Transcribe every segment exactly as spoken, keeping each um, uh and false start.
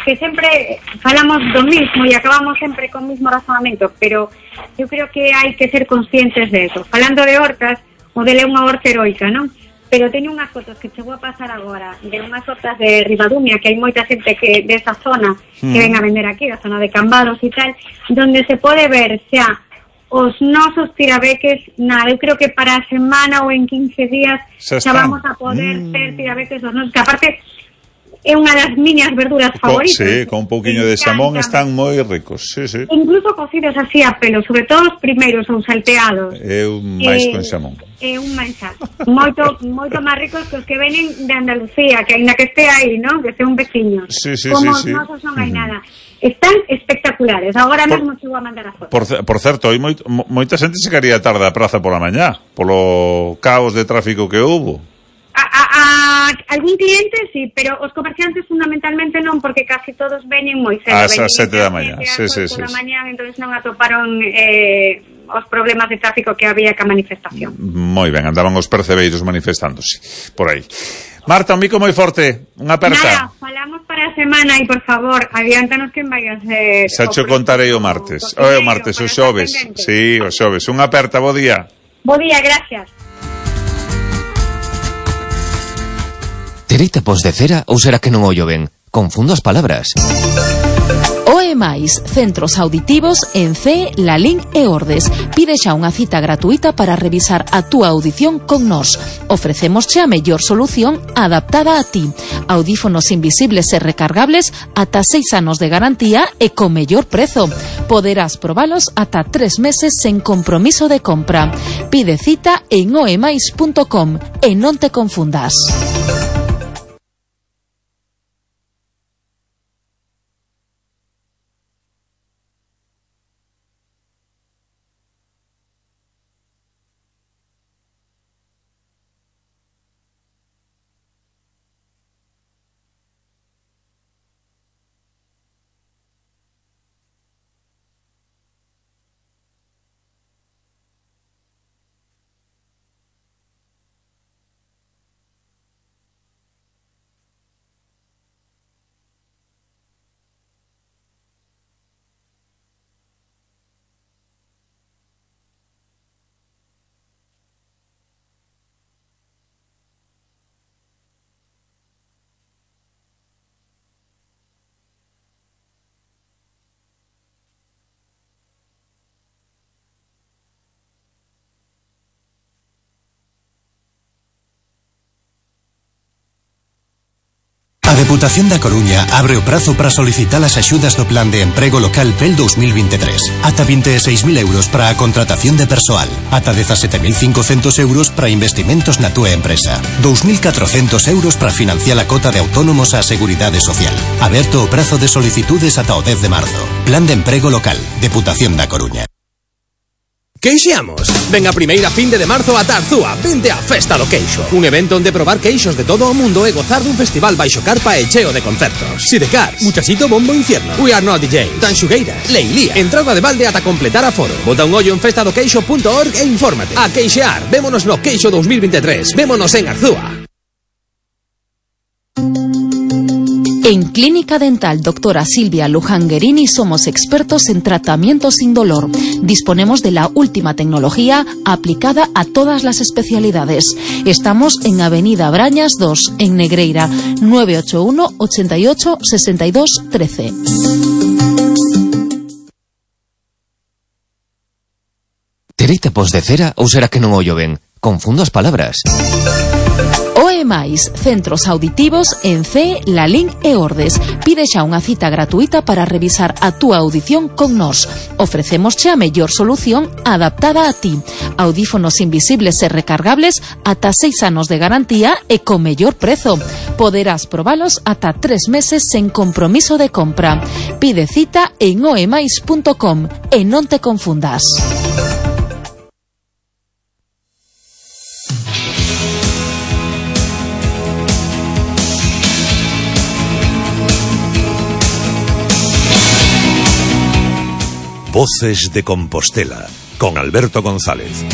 que sempre falamos do mismo e acabamos sempre con o mismo razonamento, pero eu creo que hai que ser conscientes de eso. Falando de hortas, o dele é unha horta heroica, non? Pero teño unhas fotos que chegou a pasar agora de unhas hortas de Ribadumia, que hai moita xente que desa zona mm. que ven a vender aquí, a zona de Cambados e tal, donde se pode ver xa os nosos tirabeques, nada, eu creo que para a semana ou en quince días xa, xa vamos a poder mm. ter tirabeques dos nosos, que aparte é unha das miñas verduras favoritas. Sí, con un pouquiño de xamón están moi ricos, sí, sí. Incluso cocidos así a pelo, sobre todo os primeiros ou salteados. É un máis con xamón. É un manxar. Moito moito máis ricos que os que venen de Andalucía, que aínda que este aí, ¿no? Que son veciños. Sí, sí, Como sí, sí. Como nosos non hai uh-huh. nada. Están espectaculares. Agora por, mesmo chego a mandar a foto. Por, por certo, hai moito, moita xente se quería tarde a praza pola mañá, polo caos de tráfico que houbo. A, a, a algún cliente sí, pero os comerciantes fundamentalmente non, porque casi todos veñen moi cedo. Ás sete da mañá, sí, sí, sí. Da mañá, entonces non atoparon eh, os problemas de tráfico que había ca manifestación. Moi ben, andaban os percebeiros manifestándose por aí. Marta, un mico moi forte, unha aperta. Nada, falamos para a semana e, por favor, adiántanos que vai a ser... Xa cho contarei o martes. O, o martes, o xoves. Sí, o xoves. Unha aperta, bo día. Bo día, gracias. Tereita pos de cera ou será que non ollo ben? Confundo as palabras. O E máis, centros auditivos en C E, Lalín e Ordes. Pide xa unha cita gratuita para revisar a túa audición con nós. Ofrecemos xa a mellor solución adaptada a ti. Audífonos invisibles e recargables ata seis anos de garantía e con mellor prezo. Poderás probalos ata tres meses sen compromiso de compra. Pide cita en o e máis punto com e non te confundas. A Deputación da Coruña abre o prazo para solicitar as axudas do Plan de Emprego Local P E L dos mil veintitrés. Ata vinte e seis mil euros para a contratación de persoal. Ata dezasete mil cincocentos euros para investimentos na túa empresa. dous mil catrocentos euros para financiar a cota de autónomos á Seguridade Social. Aberto o prazo de solicitudes ata o dez de marzo. Plan de Emprego Local. Deputación da Coruña. Queixeamos. Ven a primeira finde de marzo a Tarzúa. Vente a Festa do Queixo. Un evento onde probar queixos de todo o mundo e gozar dun festival baixo carpa e cheo de concertos. Sidecar, Muchachito Bombo Infierno, We Are Not D J, Tanxugueiras, Leilía. Entrada de balde ata completar aforo. Bota un ollo en festa do queixo punto org e infórmate. A queixear. Vémonos no Queixo dos mil veintitrés. Vémonos en Arzúa. En Clínica Dental Doctora Silvia Lujanguerini somos expertos en tratamiento sin dolor. Disponemos de la última tecnología aplicada a todas las especialidades. Estamos en Avenida Brañas dos, en Negreira, nueve ocho uno, ochenta y ocho, sesenta y dos, trece. Tereita pos de cera ou será que non ollo ben? Confundo as palabras. O E máis, centros auditivos en C E, Lalín e Ordes. Pide xa unha cita gratuita para revisar a túa audición con nós. Ofrecemos xa a mellor solución adaptada a ti. Audífonos invisibles e recargables ata seis anos de garantía e con mellor prezo. Poderás probalos ata tres meses sen compromiso de compra. Pide cita en o e máis punto com e non te confundas. Voces de Compostela, con Alberto González.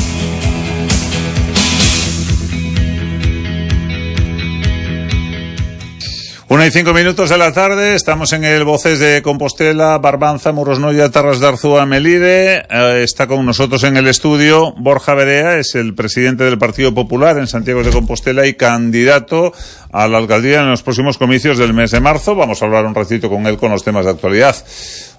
Una y cinco minutos de la tarde, estamos en el Voces de Compostela, Barbanza, Morosnoya, Tarras de Arzúa, Melide. Eh, está con nosotros en el estudio Borja Verea, es el presidente del Partido Popular en Santiago de Compostela y candidato a la alcaldía en los próximos comicios del mes de marzo. Vamos a hablar un ratito con él con los temas de actualidad.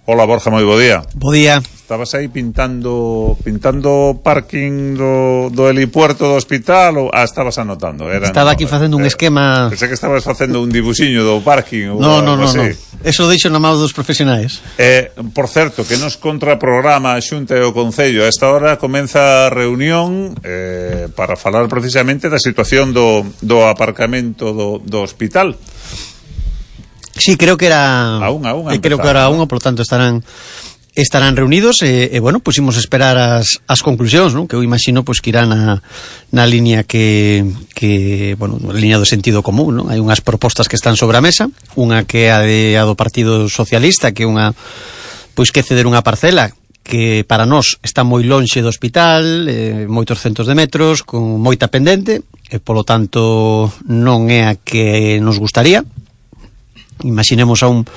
Hola Borja, moi bo día. Bo día. Estabas aí pintando pintando parking do, do helipuerto do hospital ou ah, estabas anotando? Era, Estaba no, aquí facendo un eh, esquema. Pensé que estabas facendo un dibuxiño do parking ou No, no, algo no, así. no. Eso lo deixo na mão dos profesionais. Eh, por certo, que nos contraprograma a Xunta e o Concello. A esta hora comeza a reunión eh, para falar precisamente da situación do, do aparcamento do, do hospital. Sí, creo que era a unha, a unha eh, creo que era a unha, por lo tanto estarán estarán reunidos e, e bueno, pusimos pues, esperar as, as conclusións, ¿no? Que eu imagino pues, que irán na, na línea que, que bueno, na línea do sentido común, ¿no? Hai unhas propostas que están sobre a mesa, unha que é a, de, a do Partido Socialista, que é unha pois que ceder unha parcela que para nós está moi lonxe do hospital, eh, moitos centos de metros, con moita pendente, e polo tanto non é a que nos gustaría. Imaginemos a un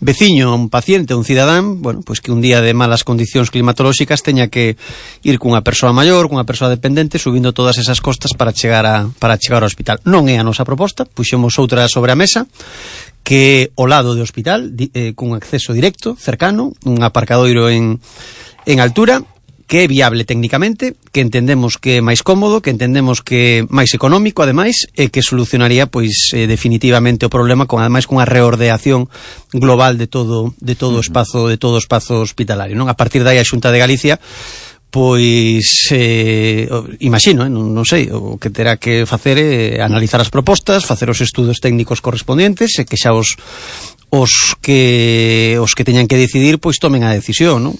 veciño, a un paciente, a un cidadán, bueno, pois que un día de malas condicións climatolóxicas teña que ir cunha persoa maior, cunha persoa dependente, subindo todas esas costas para chegar a para chegar ao hospital. Non é a nosa proposta, puxemos outra sobre a mesa, que ao lado do hospital, eh, cun acceso directo, cercano, un aparcadoiro en en altura, que é viable técnicamente, que entendemos que é máis cómodo, que entendemos que é máis económico, ademais, e que solucionaría, pois, eh, definitivamente o problema, con ademais cunha reordeación global de todo de todo o espazo de todo o espazo hospitalario, non? A partir de aí a Xunta de Galicia pois eh, imagino, eh, non, non sei, o que terá que facer é eh, analizar as propostas, facer os estudos técnicos correspondientes e que xa os os que os que teñan que decidir pois tomen a decisión, non?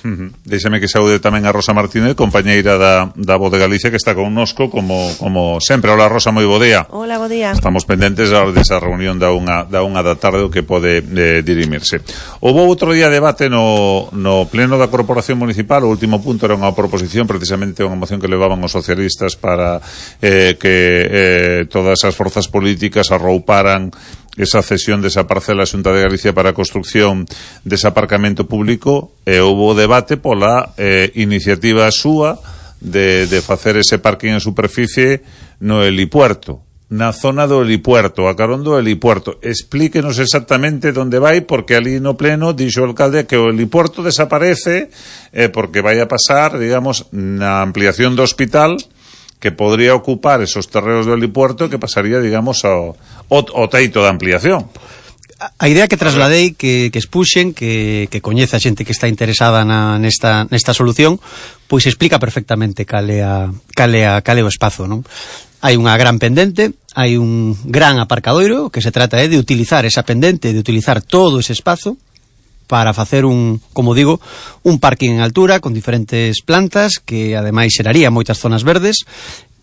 Uh-huh. Deixame que saúde tamén a Rosa Martínez, compañeira da, da Voz de Galicia, que está connosco como, como sempre. Hola Rosa, moi bo día. Hola, bo día. Estamos pendentes desa reunión da unha, da unha da tarde o que pode eh, dirimirse. Houve outro día debate no, no pleno da Corporación Municipal. O último punto era unha proposición, precisamente unha moción que levaban os socialistas para eh, que eh, todas as forzas políticas arrouparan esa cesión desa parcela a Xunta de Galicia para a construcción dese aparcamento público, e houve debate pola eh, iniciativa súa de, de facer ese parking en superficie no helipuerto, na zona do helipuerto, a carón do helipuerto. Explíquenos exactamente onde vai, porque ali no pleno dixo o alcalde que o helipuerto desaparece eh, porque vai a pasar, digamos, na ampliación do hospital, que podría ocupar esos terreos do helipuerto, que pasaría, digamos, ao, ao, ao teito da ampliación. A idea que trasladei, que, que expuxen, que, que coñece a xente que está interesada na, nesta, nesta solución, pois explica perfectamente cal é, a, cal é, a, cal é o espazo, non? Hai unha gran pendente, hai un gran aparcadoiro, que se trata é de utilizar esa pendente, de utilizar todo ese espazo, para facer un, como digo, un parking en altura con diferentes plantas que ademais xeraría moitas zonas verdes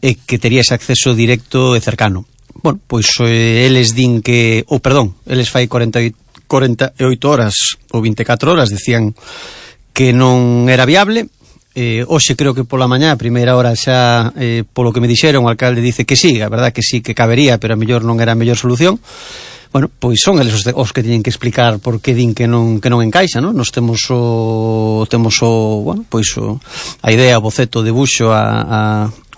e que tería ese acceso directo e cercano. Bueno, pois eh, eles din que, ou oh, perdón, eles fai cuarenta e oito horas ou vinte e catro horas decían que non era viable. Eh, hoxe creo que pola mañá, a primeira hora xa, eh, polo que me dixeron, o alcalde dice que sí, a verdad que sí, que cabería, pero a mellor non era a mellor solución. Bueno, pois son eles os, de, os que teñen que explicar por que din que non que non encaixa, non? Nos temos o temos o, bueno, pois o, a idea, o boceto, o debuxo, a, a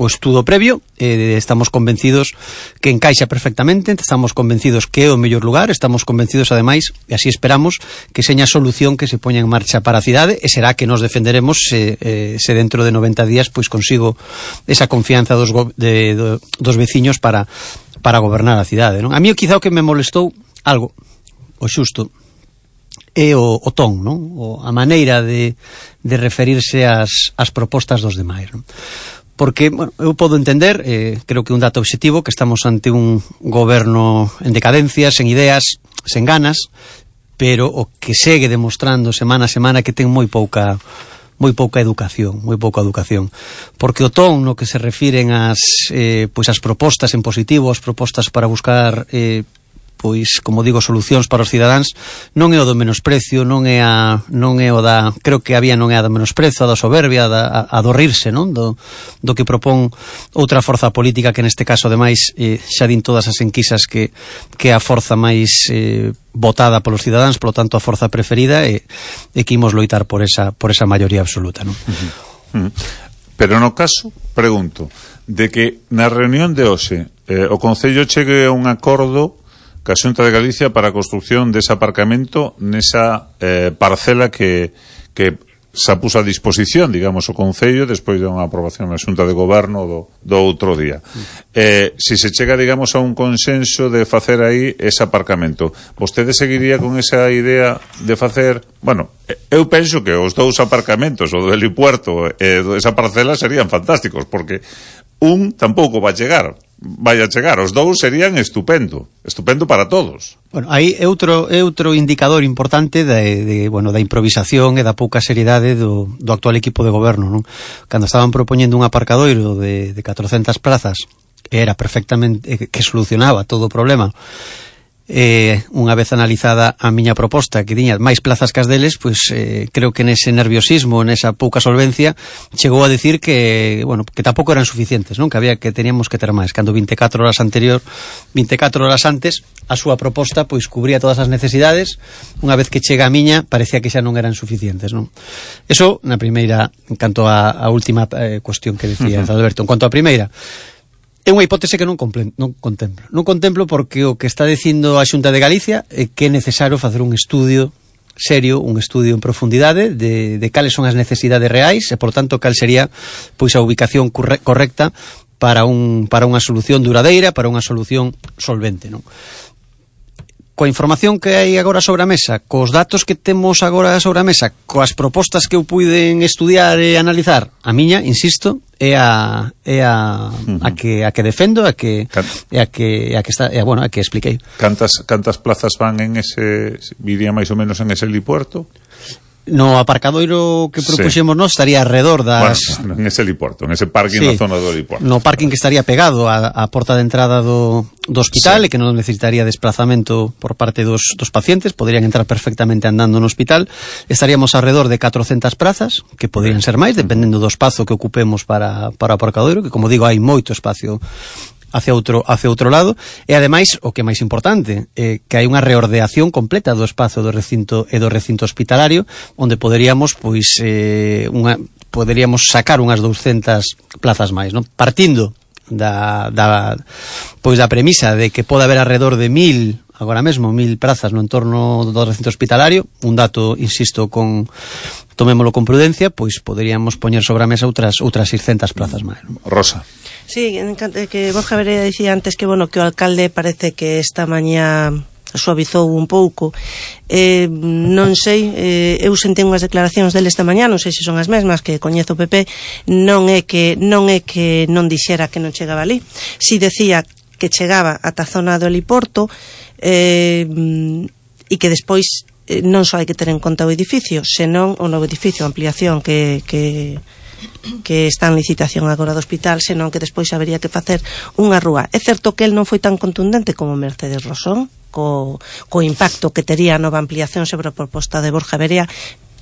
o estudo previo, e estamos convencidos que encaixa perfectamente, estamos convencidos que é o mellor lugar, estamos convencidos ademais, e así esperamos, que seña a solución que se poña en marcha para a cidade, e será que nos defenderemos se, eh, se dentro de noventa días pois consigo esa confianza dos, go, de, do, dos veciños para para gobernar a cidade, non? A mí quizá o que me molestou algo, o xusto, é o, o ton, non? O, a maneira de, de referirse ás, ás propostas dos demais, non? Porque, bueno, eu podo entender, eh, creo que un dato obxectivo, que estamos ante un goberno en decadencia, sen ideas, sen ganas, pero o que segue demostrando semana a semana que ten moi pouca moi pouca educación, moi pouca educación, porque o ton no que se refiren as eh, pois as propostas en positivo, as propostas para buscar eh, pois, como digo, solucións para os cidadáns, non é o do menosprecio, non é a non é o da, creo que había non é a do menosprezo, a da soberbia, a, a do rirse, non? Do, do que propón outra forza política que neste caso, ademais, eh, xa din todas as enquisas que, que é a forza máis eh, votada polos cidadáns, polo tanto a forza preferida, e, e que imos loitar por esa, por esa maioría absoluta, non? Uh-huh. Uh-huh. Pero no caso, pregunto, de que na reunión de hoxe eh, o Concello chegue a un acordo ca Xunta de Galicia para a construción dese aparcamento nesa eh, parcela que, que se puso a disposición, digamos, o Concello despois de unha aprobación na Xunta de Goberno do, do outro día. Eh, si se chega, digamos, a un consenso de facer aí ese aparcamento, vostede seguiría con esa idea de facer... Bueno, eu penso que os dous aparcamentos, o do helipuerto e eh, esa parcela, serían fantásticos, porque un tampouco vai chegar, vai a chegar, os dous serían estupendo, estupendo para todos. Bueno, aí é outro, é outro indicador importante de, de, bueno, da improvisación e da pouca seriedade do, do actual equipo de goberno, non? Cando estaban propoñendo un aparcadoiro de, de catrocentas plazas, era perfectamente, que solucionaba todo o problema, eh, unha vez analizada a miña proposta, que tiña máis plazas que as deles, pois eh, creo que nese nerviosismo, nesa pouca solvencia, chegou a decir que, bueno, que tampouco eran suficientes, non? Que había, que teníamos que ter máis, cando veinticuatro horas anterior, veinticuatro horas antes, a súa proposta pois cubría todas as necesidades. Unha vez que chega a miña, parecía que xa non eran suficientes, non? Eso na primeira, en canto a, a última eh, cuestión que decía uh-huh. Alberto. En cuanto a primeira, é unha hipótese que non, complen, non contemplo. Non contemplo porque o que está dicindo a Xunta de Galicia é que é necesario facer un estudio serio, un estudio en profundidade de, de cales son as necesidades reais e, por tanto, cal sería pois a ubicación corre, correcta para, un, para unha solución duradeira, para unha solución solvente, non? Coa información que hai agora sobre a mesa, cos datos que temos agora sobre a mesa, coas propostas que eu puiden estudiar e analizar, a miña, insisto, é a é a uh-huh. a que a que defendo, a que Can... é a que a que está, é, bueno, a que expliquei. Cantas cantas plazas van en ese, viría máis ou menos en ese helipuerto? No aparcadoiro que propuxemos sí. Nós estaría alrededor das... Bueno, en ese helipuerto, en ese parking sí. Na zona do helipuerto. No parking que estaría pegado á, á porta de entrada do, do hospital sí. E que non necesitaría desplazamento por parte dos, dos pacientes, poderían entrar perfectamente andando no hospital. Estaríamos alrededor de catrocentas prazas, que poderían ser máis, dependendo do espazo que ocupemos para, para o aparcadoiro, que como digo, hai moito espacio hacia outro hacia outro lado, e ademais o que é máis importante, eh, que hai unha reordeación completa do espazo do recinto e do recinto hospitalario, onde poderíamos pois eh, unha poderíamos sacar unhas douscentas plazas máis, non? Partindo da, da pois da premisa de que pode haber alrededor de mil, agora mesmo mil prazas no entorno do recinto hospitalario, un dato, insisto, con tomémolo con prudencia, pois poderíamos poñer sobre a mesa outras outras seiscentas plazas máis, non? Rosa. Sí, que Borja Verea dicía antes que, bueno, que o alcalde parece que esta mañá suavizou un pouco. Eh, non sei, eh, eu sentei unhas declaracións dele esta mañá, non sei se son as mesmas que coñezo o P P, non é que non é que non dixera que non chegaba ali. Si decía que chegaba ata a zona do heliporto eh, e que despois eh, non só hai que ter en conta o edificio, senón o novo edificio, a ampliación que... que que está en licitación agora do hospital, senón que despois habería que facer unha rúa. É certo que el non foi tan contundente como Mercedes Rosón, co, co impacto que tería a nova ampliación sobre a proposta de Borja Verea,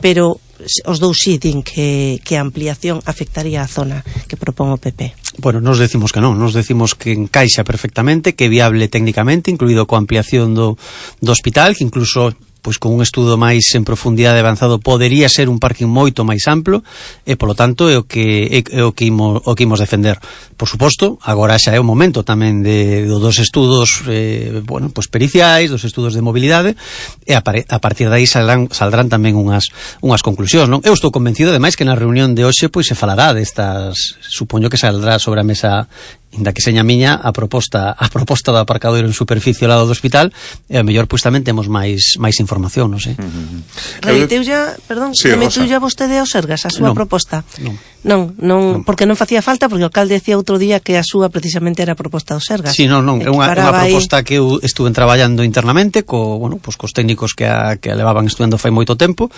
pero os dous sí din que, que a ampliación afectaría a zona que propón o P P. Bueno, nos decimos que non, nos decimos que encaixa perfectamente, que é viable técnicamente, incluído coa ampliación do, do hospital, que incluso pois con un estudo máis en profundidade avanzado podería ser un parking moito máis amplo e polo tanto é o que é o que imos, o que imos defender. Por suposto, agora xa é o momento tamén de, de dos estudos eh, bueno, pois periciais, dos estudos de mobilidade e a, a partir de aí saldrán, saldrán tamén unhas unhas conclusións, non? Eu estou convencido ademais que na reunión de hoxe pois se falará destas, supoño que saldrá sobre a mesa, inda que seña miña, a proposta a proposta do aparcadoiro en superficie ao lado do hospital, e a mellor pois tamén temos máis máis información, non sei. Uh-huh. Remiteu ya, perdón, sí, remiteu ya vostede ao Sergas a súa non, proposta? Non. Non, non, non, porque non facía falta, porque o alcalde decía outro día que a súa precisamente era a proposta do Sergas. Sí, non, non, é unha, unha proposta aí... que eu estuve traballando internamente co, bueno, pues, cos técnicos que a, que a levaban estudando fai moito tempo,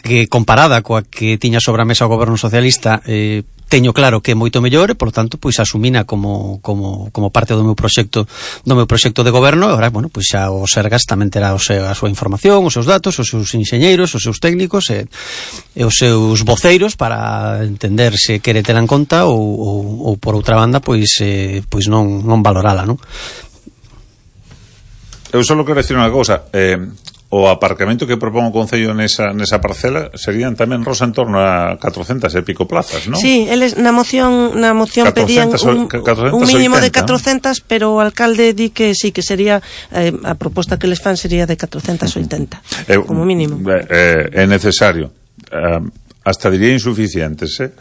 que comparada coa que tiña sobre a mesa o goberno socialista, eh, teño claro que é moito mellor e, por lo tanto, pois asumina como, como, como parte do meu proxecto do meu proxecto de goberno. E agora, bueno, pois xa o Sergas tamén terá o seu, a súa información, os seus datos, os seus enxeñeiros, os seus técnicos e, e os seus voceiros para entender se quere tela en conta ou, ou, ou por outra banda, pois, eh, pois non, non valorala, non? Eu só quero decir unha cousa, eh, o aparcamento que propón o Concello nesa, nesa parcela serían tamén rosa en torno a catrocentas e pico plazas, non? Sí, eles na moción na moción pedían un, un mínimo de catrocentas, pero o alcalde di que sí, que sería eh, a proposta que les fan sería de catrocentas oitenta, eh, como mínimo. Eh, é necesario. Eh, hasta diría insuficientes, eh?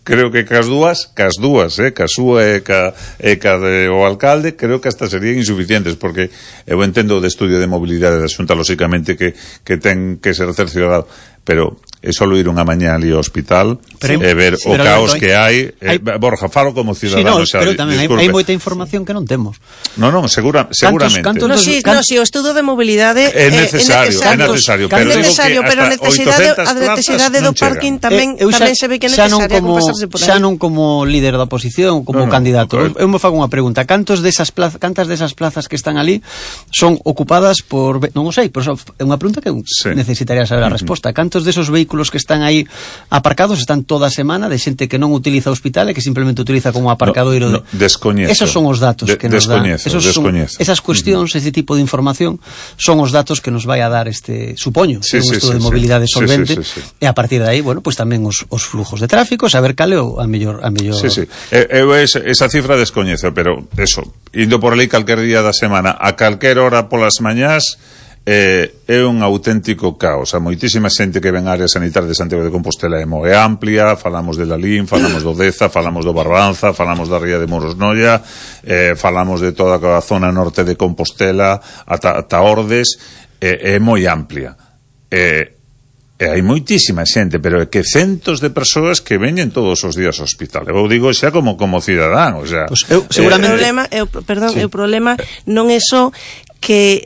Creo que cas dúas, cas dúas, eh? Cas súa e ca, e ca de o alcalde, creo que hasta serían insuficientes, porque eu entendo o de estudio de mobilidade da Xunta, lóxicamente, que, que ten que ser cerciorado, pero é só ir unha mañá ali ao hospital e eh, ver sí, o caos que hai, eh, hai Borja, falo como ciudadano, sí, no, pero tamén hai, hai moita información que non temos. Non, non, segura, seguramente. Cantos, cantos, no, sí, no, si o estudo de mobilidade é necesario, é necesario, pero é necesario, pero a necesidade, a necesidade do parking tamén, eh, tamén se ve que é necesaria como, pasarse por aí. Xa non como líder da oposición, como no, no, candidato. Okay. Eu me fago unha pregunta, cantos desas plazas, cantas desas plazas que están ali son ocupadas por, non o sei, pero é unha pregunta que sí. necesitaría saber a resposta. Cantos desos vehículos que están aí aparcados están toda a semana de xente que non utiliza o hospital e que simplemente utiliza como aparcadoiro? No, no, descoñezo. Esos son os datos de, que nos dan. Esos son, esas cuestións, uh-huh. ese tipo de información son os datos que nos vai a dar este, supoño, sí, un sí, estudo sí, de mobilidade sí, solvente, sí, sí, sí, sí. E a partir de aí, bueno, pues tamén os, os flujos de tráfico, saber cal é a mellor a mellor. Sí, sí. Eu esa, esa cifra descoñezo, pero eso, indo por ali calquer día da semana, a calquer hora polas mañás, Eh, é un auténtico caos. A moitísima xente que ven á área sanitaria de Santiago de Compostela é moi amplia, falamos de Lalín, falamos do Deza, falamos do Barbanza, falamos da ría de Moros Noia, eh, falamos de toda a zona norte de Compostela ata, ata Ordes, eh, é moi amplia. Eh, e hai moitísima xente, pero é que centos de persoas que veñen todos os días ao hospital. Eu digo xa como como cidadán, o sea, pues eu, seguramente eh, o problema, eu, perdón, sí. o problema non é só que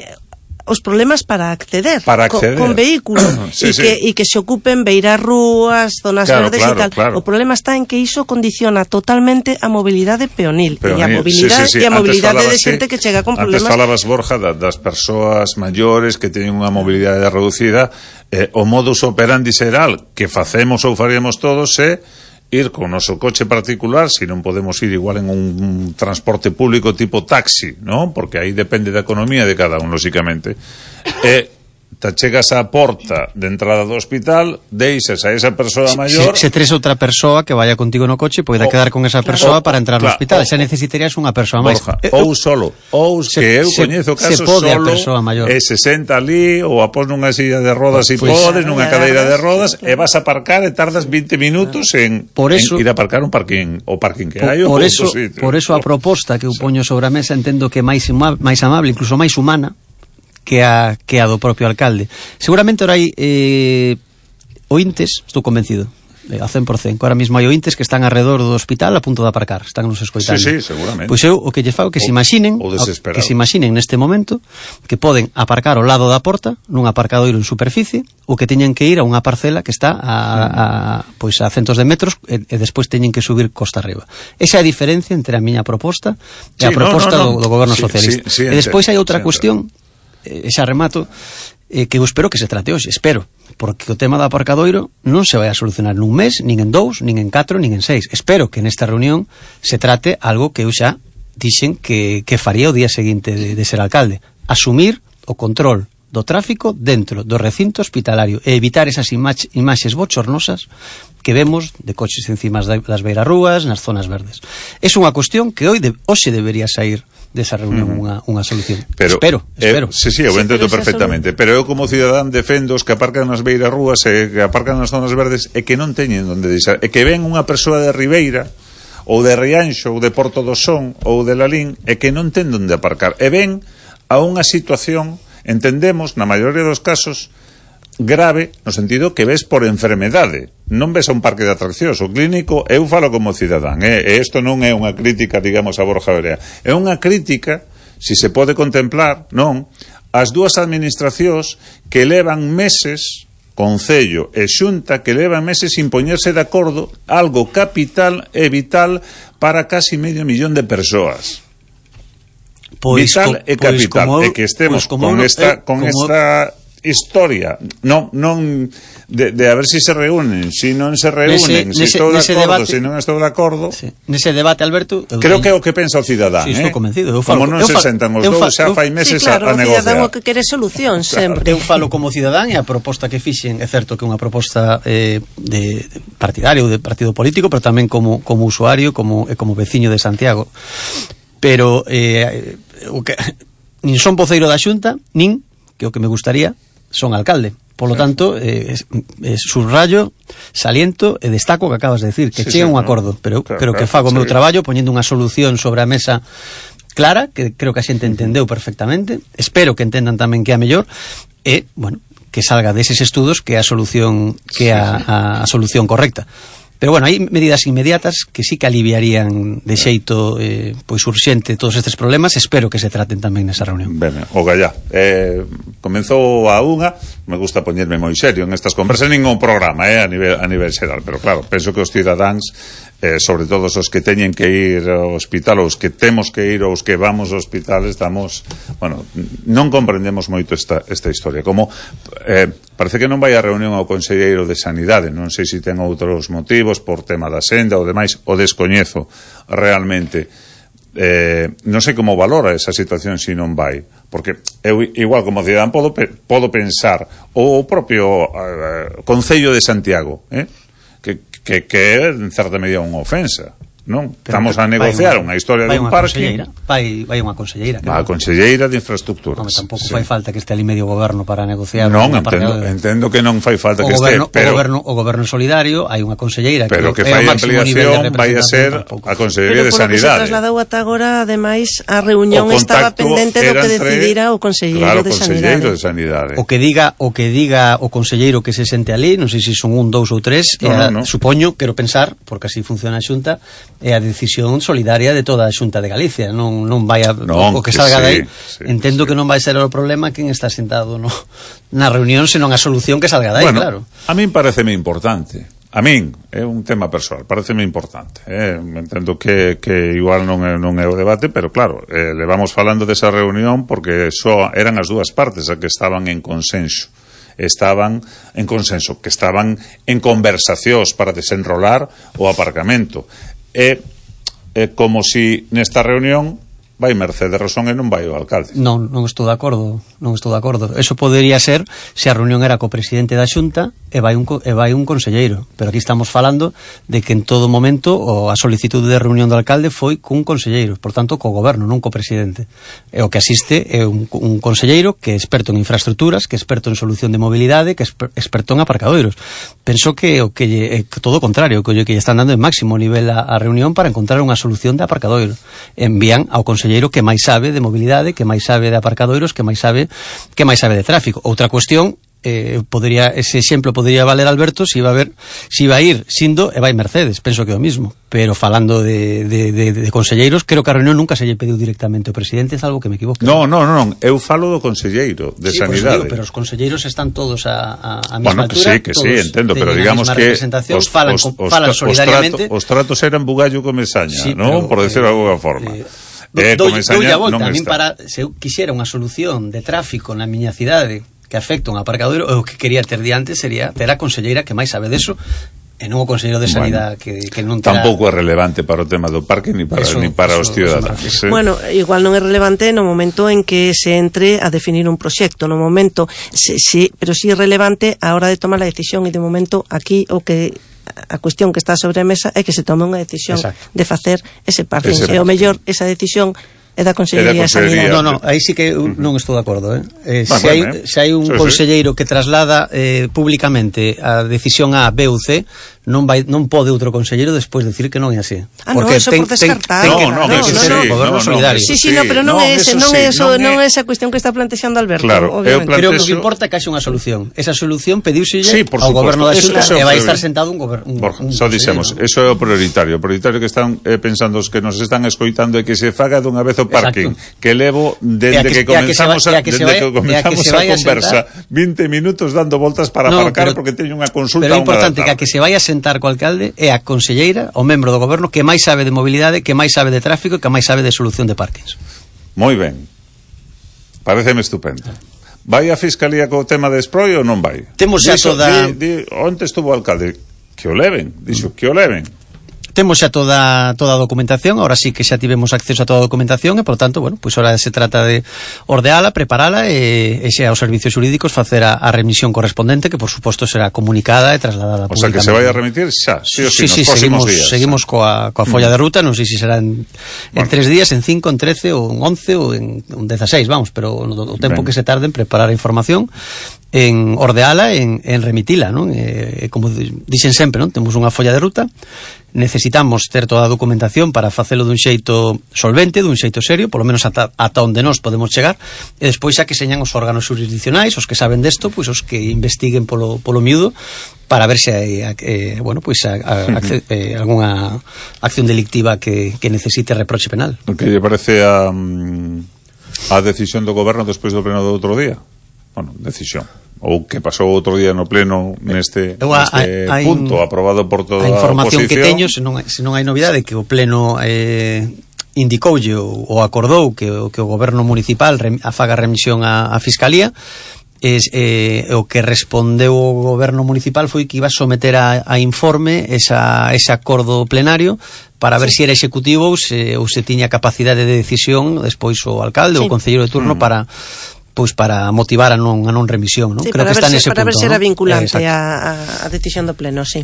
os problemas para acceder, para acceder. Con, con vehículo sí, e sí. que e que se ocupen beiras rúas, zonas claro, verdes claro, e tal. Claro. O problema está en que iso condiciona totalmente a mobilidade peonil, peonil. e a mobilidade sí, sí, sí. e a mobilidade de xente sí. que chega con antes problemas. Antes falabas, Borja, da, das persoas maiores que teñen unha mobilidade reducida, eh, o modus operandi xeral que facemos ou faríamos todos é ir con o noso coche particular, se non podemos ir igual en un, un transporte público tipo taxi, ¿no? Porque aí depende da economía de cada un, lóxicamente. E te chegas á porta de entrada do hospital, deixas a esa persoa maior. Se, se tres outra persoa que vaya contigo no coche, poida quedar con esa persoa claro, para entrar no hospital. Xa necesitarías unha persoa máis. Ou solo, ou se, que eu se, coñezo casos solo e se senta ali ou a pos nunha silla de rodas se pues, podes, nunha cadeira de rodas e vas a aparcar e tardas vinte minutos en, por eso, en ir a aparcar un parking o parking que hai. Por, por eso, por eso a proposta que eu poño sobre a mesa entendo que é máis máis amable, incluso máis humana que a, que a do propio alcalde. Seguramente ahora hai eh, ointes, estou convencido, eh, a cen por cento, que ahora mismo hai ointes que están alrededor do hospital a punto de aparcar, están nos escoitando. Sí, sí, seguramente. Pois eu o que lle fago que o, se imaginen, que se imaginen neste momento que poden aparcar ao lado da porta nun aparcadoiro en superficie ou que teñen que ir a unha parcela que está a, a, pois a centos de metros e, e despois teñen que subir costa arriba. Esa é a diferencia entre a miña proposta e sí, a proposta no, no, no. Do, do goberno sí, socialista. Sí, sí, e despois hai outra sí, cuestión e xa remato, eh, que eu espero que se trate hoxe, espero, porque o tema do aparcadoiro non se vai a solucionar nun mes, nin en dous, nin en catro, nin en seis. Espero que nesta reunión se trate algo que eu xa dixen que, que faría o día seguinte de, de ser alcalde, asumir o control do tráfico dentro do recinto hospitalario e evitar esas imaxe, imaxes bochornosas que vemos de coches encima das beirarrúas, nas zonas verdes. É unha cuestión que hoy de, hoxe debería sair desa reunión mm. unha, unha solución. Pero, espero, espero. Eh, sí, sí, eu sí, entendo perfectamente, pero eu como cidadán defendo os que aparcan nas beirarrúas e que aparcan nas zonas verdes e que non teñen onde deixar, e que ven unha persoa de Ribeira ou de Rianxo ou de Porto do Son ou de Lalín e que non ten onde aparcar e ven a unha situación, entendemos, na maioría dos casos, grave, no sentido que ves por enfermedade, non ves a un parque de atraccións. O clínico, eu falo como cidadán, eh? E isto non é unha crítica, digamos, a Borja Verea, é unha crítica, si se pode contemplar, non, as dúas administracións que levan meses Concello e Xunta que levan meses sin poñerse de acordo, algo capital e vital para casi medio millón de persoas. Pois, vital e capital, pois como, e que estemos pois con esta, con como, esta historia, non, non de, de a ver si se reúnen, si non se reúnen, nese, si estou de acordo, debate, si non estou de acordo. Sí. Nese debate, Alberto, creo que é o que pensa o cidadán, sí, eh? Estou convencido. Eu falo, como non se falo, sentan os dous, xa fai meses sí, claro, a, a negociar. O cidadán o que quere solución sempre. Claro. Eu falo como cidadán e a proposta que fixen é certo que é unha proposta eh, de, de partidario, de partido político, pero tamén como, como usuario, como, como veciño de Santiago. Pero eh, o que, nin son voceiro da Xunta, nin, que o que me gustaría, son alcalde. Por lo tanto, eh, eh, subrayo, saliento e destaco que acabas de decir, que sí, chega sí, un acordo, pero, claro, pero que fago o meu traballo poñendo unha solución sobre a mesa clara, que creo que a xente entendeu perfectamente, espero que entendan tamén que é a mellor, e, bueno, que salga deses estudos que é a solución que é a, a, a solución correcta. Pero bueno, hai medidas inmediatas que sí que aliviarían de xeito eh, pois urxente todos estes problemas. Espero que se traten tamén nesa reunión. Ben, o gallá eh, comenzou a unha, me gusta poñerme moi serio en estas conversas, ningún programa eh, a nivel a nivel xeral, pero claro, penso que os cidadáns eh, sobre todo os que teñen que ir ao hospital, os que temos que ir, os que vamos ao hospital, estamos, bueno, non comprendemos moito esta, esta historia, como eh, parece que non vai a reunión ao conselleiro de Sanidade, non sei se ten outros motivos por tema da senda ou demais, o descoñezo realmente. Eh, non sei como valora esa situación se non vai, porque eu igual como cidadán podo, podo pensar o propio uh, Concello de Santiago eh? que, que, que é en certa medida unha ofensa, non? Pero estamos a negociar unha historia de un parque. Vai, vai unha conselleira. Vai a conselleira de infraestructuras. Non, tampouco sí. Fai falta que este ali medio goberno para negociar. Non, entendo, entendo que non fai falta o que goberno, este, pero o goberno, o goberno solidario, hai unha conselleira pero que, que fai ampliación vai a ser a Consellería de Sanidade. Pero se trasladou ata agora, ademais, a reunión estaba pendente do que decidira o conselleiro claro, de Sanidade. de Sanidade. O que diga, o que diga o conselleiro que se sente ali, non sei se son un, dous ou tres, no, a, no, no. Supoño, quero pensar, porque así funciona a Xunta, é a decisión solidaria de toda a Xunta de Galicia, non non vai a non, o que salga que sí, de aí. Sí, entendo sí. Que non vai ser o problema quen está sentado no, na reunión, senón a solución que salga de aí, bueno, claro. A min pareceme importante. A min, é un tema persoal, pareceme importante. Eh? Entendo que, que igual non é, non é o debate, pero claro, eh, le vamos falando desa reunión porque só eran as dúas partes a que estaban en consenso. Estaban en consenso, que estaban en conversacións para desenrolar o aparcamento. E é como si nesta reunión vai Mercedes Rosón e non vai o alcalde. Non, non estou de acordo, non estou de acordo. Eso podería ser se a reunión era co presidente da Xunta e vai un e vai un conselleiro, pero aquí estamos falando de que en todo momento o a solicitude de reunión do alcalde foi cun conselleiro, por tanto co goberno, non co presidente. E o que asiste é un, un conselleiro que é experto en infraestructuras, que é experto en solución de mobilidade, que é experto en aparcadoiros. Penso que o que é todo o contrario, que o que lle están dando en máximo nivel a, a reunión para encontrar unha solución de aparcadoiro. Envían ao conselleiro que máis sabe de mobilidade, que máis sabe de aparcadoiros, que máis sabe que máis sabe de tráfico. Outra cuestión, eh, podría, ese exemplo podría valer Alberto se iba a ver, se iba a ir Sindo e vai Mercedes, penso que é o mismo, pero falando de, de, de, de conselleiros, creo que a reunión nunca se lle pediu directamente ao presidente, é algo que me equivoco. Non, non, non, eu falo do conselleiro de sí, Sanidade. Digo, pero os conselleiros están todos a, a, a bueno, mesma que altura. Sí, que sí, entendo, pero digamos que os, falan, os, os, falan solidariamente. Os, trato, os tratos eran bugallo con mesaña, sí, non? Por decirlo eh, de alguna forma. Eh, Eh, dou, dou a volta, a min para, se eu quixera unha solución de tráfico na miña cidade que afecta un aparcadoiro, o que quería ter diante sería ter a conselleira que máis sabe deso e non o conselleiro de Sanidade, bueno, que, que non terá... Tampouco é relevante para o tema do parque ni para, eso, ni para eso, os ciudadanos. ¿Sí? Bueno, igual non é relevante no momento en que se entre a definir un proxecto, no momento, sí, sí, pero sí é relevante a hora de tomar a decisión, e de momento aquí o que a cuestión que está sobre a mesa é que se tome unha decisión. Exacto. De facer ese parking, e o mellor esa decisión é da Consellería de Sanidade. Non, non, aí sí que uh, non estou de acordo, eh. eh bueno, se, hai, eh. se hai un sí, conselleiro sí. que traslada eh, públicamente a decisión A, B ou C, non vai non pode outro conselleiro despois decir que non é así. Ah, porque no, eso ten, por descartar. Ten, ten, no, no, ten que no, ser no, o goberno no, solidario. Sí, sí, no, pero non é ese, non é eso, non é esa cuestión que está plantexando Alberto, claro, obviamente. Creo que o que importa é que haxe unha solución. Esa solución pediuselle sí, ao goberno da Xunta e vai estar sentado un goberno. Borja, só dixemos, eso é o prioritario. O prioritario que están eh, pensando os que nos están escoitando é que se faga dunha vez o parking, exacto, que levo dende que, que comenzamos a, que dende que comenzamos a, a conversa vinte minutos dando voltas para no, aparcar pero, porque teño unha consulta. Pero é importante que a que se vai a sentar co alcalde é a conselleira, o membro do goberno que máis sabe de mobilidade, que máis sabe de tráfico e que máis sabe de solución de parkings. Moi ben. Pareceme estupendo. Vai a Fiscalía co tema de Esproi ou non vai? Temos xa toda... Di, di, onte estuvo o alcalde? Que o leven, dixo, que o leven. Temos xa toda toda a documentación, ahora sí que xa tivemos acceso a toda a documentación e, por tanto, bueno, pois pues ahora se trata de ordeala, preparala e, e xa aos servicios xurídicos facer a, a remisión correspondente, que por suposto será comunicada e trasladada públicamente. O sea, que se vai a remitir xa, sí o sí, sí, nos sí, próximos seguimos, días. Seguimos coa, coa folla de ruta, non sei se será en, bueno, en tres días, en cinco, en trece ou en once ou en, en dezaseis, vamos, pero o tempo ben que se tarde en preparar a información, en ordeala, en, en remitila, non? E, como dixen sempre, non? Temos unha folla de ruta, necesitamos ter toda a documentación para facelo dun xeito solvente, dun xeito serio, polo menos ata, ata onde nós podemos chegar, e despois xa que señan os órganos jurisdiccionais, os que saben desto, pois os que investiguen polo, polo miúdo, para ver se hai eh, bueno, pois a, a, a, eh, algunha acción delictiva que, que necesite reproche penal. O que lle parece a, a decisión do goberno despois do pleno do outro día? Bueno, decisión ou que pasou outro día no pleno neste, Eu, neste hai, punto hai, aprobado por toda a información oposición. Que teño, se non, se non hai novidade, que o pleno eh, indicoulle ou, ou acordou que, que o goberno municipal rem, afaga remisión a, a Fiscalía. Es, eh, o que respondeu o goberno municipal foi que iba a someter a, a informe esa, ese acordo plenario para ver sí. se era executivo ou se, ou se tiña capacidade de decisión despois o alcalde ou sí. o concelleiro de turno mm. para pois para motivar a non a non remisión, ¿no? Sí, creo que está nese punto, para ver se era vinculante eh, a, a decisión do pleno, sí.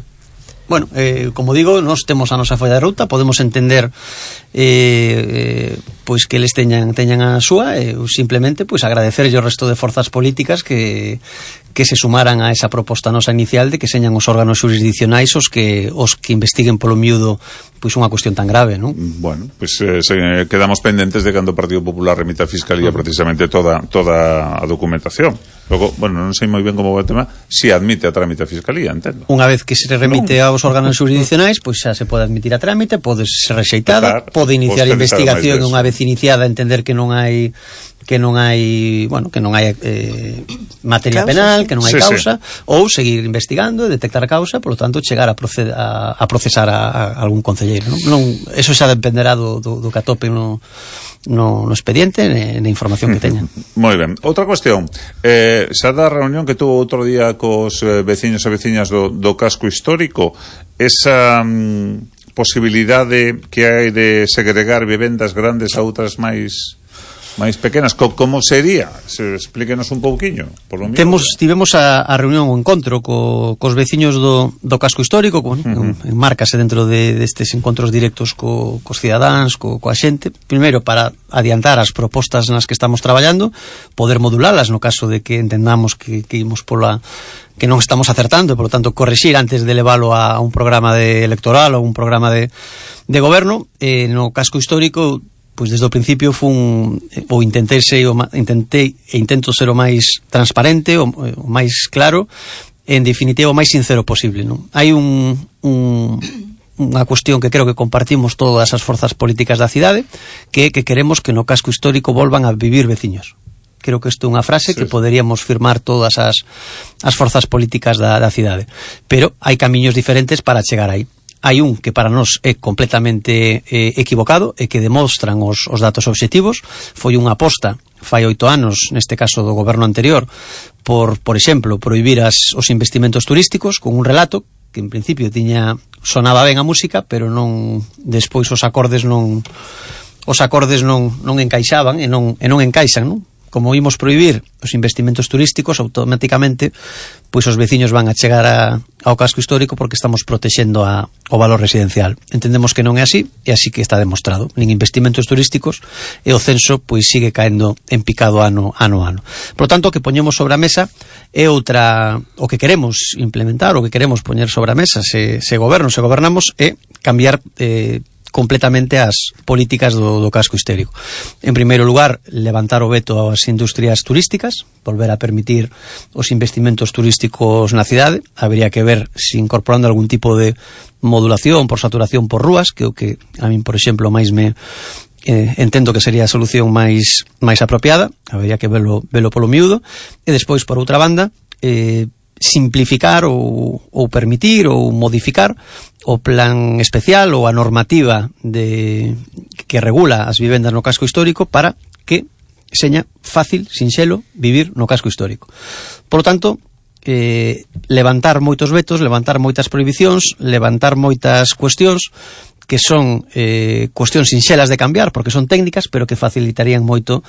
Bueno, eh, como digo, nós temos a nosa folla de ruta, podemos entender eh, eh, pois que eles teñan teñan a súa, e eh, simplemente pois agradecerlle o resto de forzas políticas que que se sumaran a esa proposta nosa inicial de que señan os órganos jurisdiccionais os que os que investiguen polo miúdo pois unha cuestión tan grave, non? Bueno, pois pues, eh, quedamos pendentes de cando o Partido Popular remita a Fiscalía precisamente toda toda a documentación. Logo, bueno, non sei moi ben como vai o tema, si admite a trámite a Fiscalía, entendo. Unha vez que se remite no. aos órganos jurisdiccionais, pois xa se pode admitir a trámite, pode ser rexeitada, claro, pode iniciar a investigación, unha vez iniciada entender que non hai que non hai, bueno, que non hai eh, materia causa, penal, sí. que non hai sí, causa, sí. ou seguir investigando e detectar a causa, por lo tanto, chegar a, proced, a, a procesar a, a algún concelleiro, non? Non, eso xa dependerá do, do, do que atope no, no, no expediente, na información que teñan. Moi ben. Outra cuestión, eh, xa da reunión que tuvo outro día cos eh, veciños e veciñas do, do casco histórico, esa mm, posibilidade que hai de segregar vivendas grandes a outras máis máis pequenas, como sería? Se explíquenos un pouquiño. Por lo Temos, tivemos a, a reunión, o encontro co, cos veciños do, do casco histórico, con, uh-huh. enmárcase dentro de, destes encontros directos co, cos cidadáns, co, coa xente, primeiro para adiantar as propostas nas que estamos traballando, poder modulalas no caso de que entendamos que, que imos pola que non estamos acertando, e por lo tanto correxir antes de leválo a un programa de electoral ou un programa de, de goberno. Eh, no casco histórico, pois desde o principio fun ou intentei ser o, intentei e intento ser o máis transparente, o, o máis claro, en definitiva o máis sincero posible, non? Hai un, un unha cuestión que creo que compartimos todas as forzas políticas da cidade, que é que queremos que no casco histórico volvan a vivir veciños. Creo que isto é unha frase sí. que poderíamos firmar todas as, as forzas políticas da, da cidade, pero hai camiños diferentes para chegar aí. Hai un que para nós é completamente eh, equivocado e que demostran os, os datos obxectivos. Foi unha aposta fai oito anos, neste caso do goberno anterior, por, por exemplo, prohibir as, os investimentos turísticos con un relato que en principio tiña sonaba ben a música, pero non despois os acordes non os acordes non, non encaixaban e non, e non encaixan, non? como imos prohibir os investimentos turísticos, automáticamente pois os veciños van a chegar a, ao casco histórico porque estamos protexendo a, o valor residencial. Entendemos que non é así, e así que está demostrado. Nin investimentos turísticos, e o censo pois sigue caendo en picado ano ano ano. Por lo tanto, o que poñemos sobre a mesa é outra, o que queremos implementar, o que queremos poñer sobre a mesa se, se goberno, se gobernamos, é cambiar eh, completamente as políticas do, do casco histórico. En primeiro lugar, levantar o veto ás industrias turísticas, volver a permitir os investimentos turísticos na cidade. Habría que ver se incorporando algún tipo de modulación por saturación por rúas, que é o que a min, por exemplo, máis me eh, entendo que sería a solución máis máis apropiada. Habría que verlo, verlo polo miúdo. E despois, por outra banda, eh, simplificar ou, ou permitir ou modificar o plan especial ou a normativa de, que regula as vivendas no casco histórico para que seña fácil, sinxelo, vivir no casco histórico. Por lo tanto, eh, levantar moitos vetos, levantar moitas prohibicións, levantar moitas cuestións que son eh, cuestións sinxelas de cambiar porque son técnicas, pero que facilitarían moito